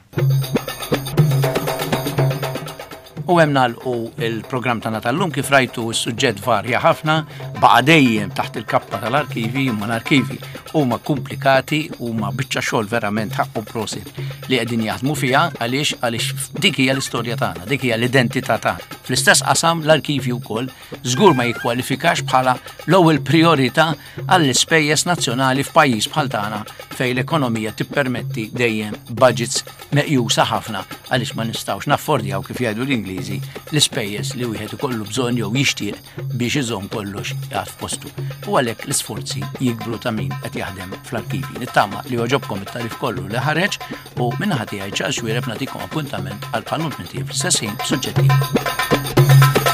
U hemm nagħlqu il-programm tagħna tal-lum kif rajtu s-suġġett varja ħafna, baqa' dejjem taħt il-kappa tal-arkivi, imma l-arkivi huma komplikati huma biċċa xogħol verament ħaqqu prosit li qegħdin jaħdmu fiha għaliex għaliex dik hija l-istorja tagħna, dik hija l-identità tagħna. Fl-istess qasam l-arkivi wkoll żgur ma jikkwalifikax bħala l-ewwel priorità għall-ispejjeż nazzjonali f'pajjiż bħal tagħna fejn l-ekonomija tippermetti dejjem budgets meqjusa ħafna għaliex ma nistgħux naffordjaw kif jgħidu l-Ingliżi l-ispejjeż li wieħed ikollu bżonn jew jixtieq biex iżomm kollox jgħad f'postu. U għalhekk l-isforzi jikbru ta' min qed jaħdem fl-arkivi. Nittama li għoġobkom it-tarif kollu li ħareġ u minnaħa tiegħi Charles Xuereb nagħtikom appuntament għal bħal-lum fl-istess ħin b'suġġetti.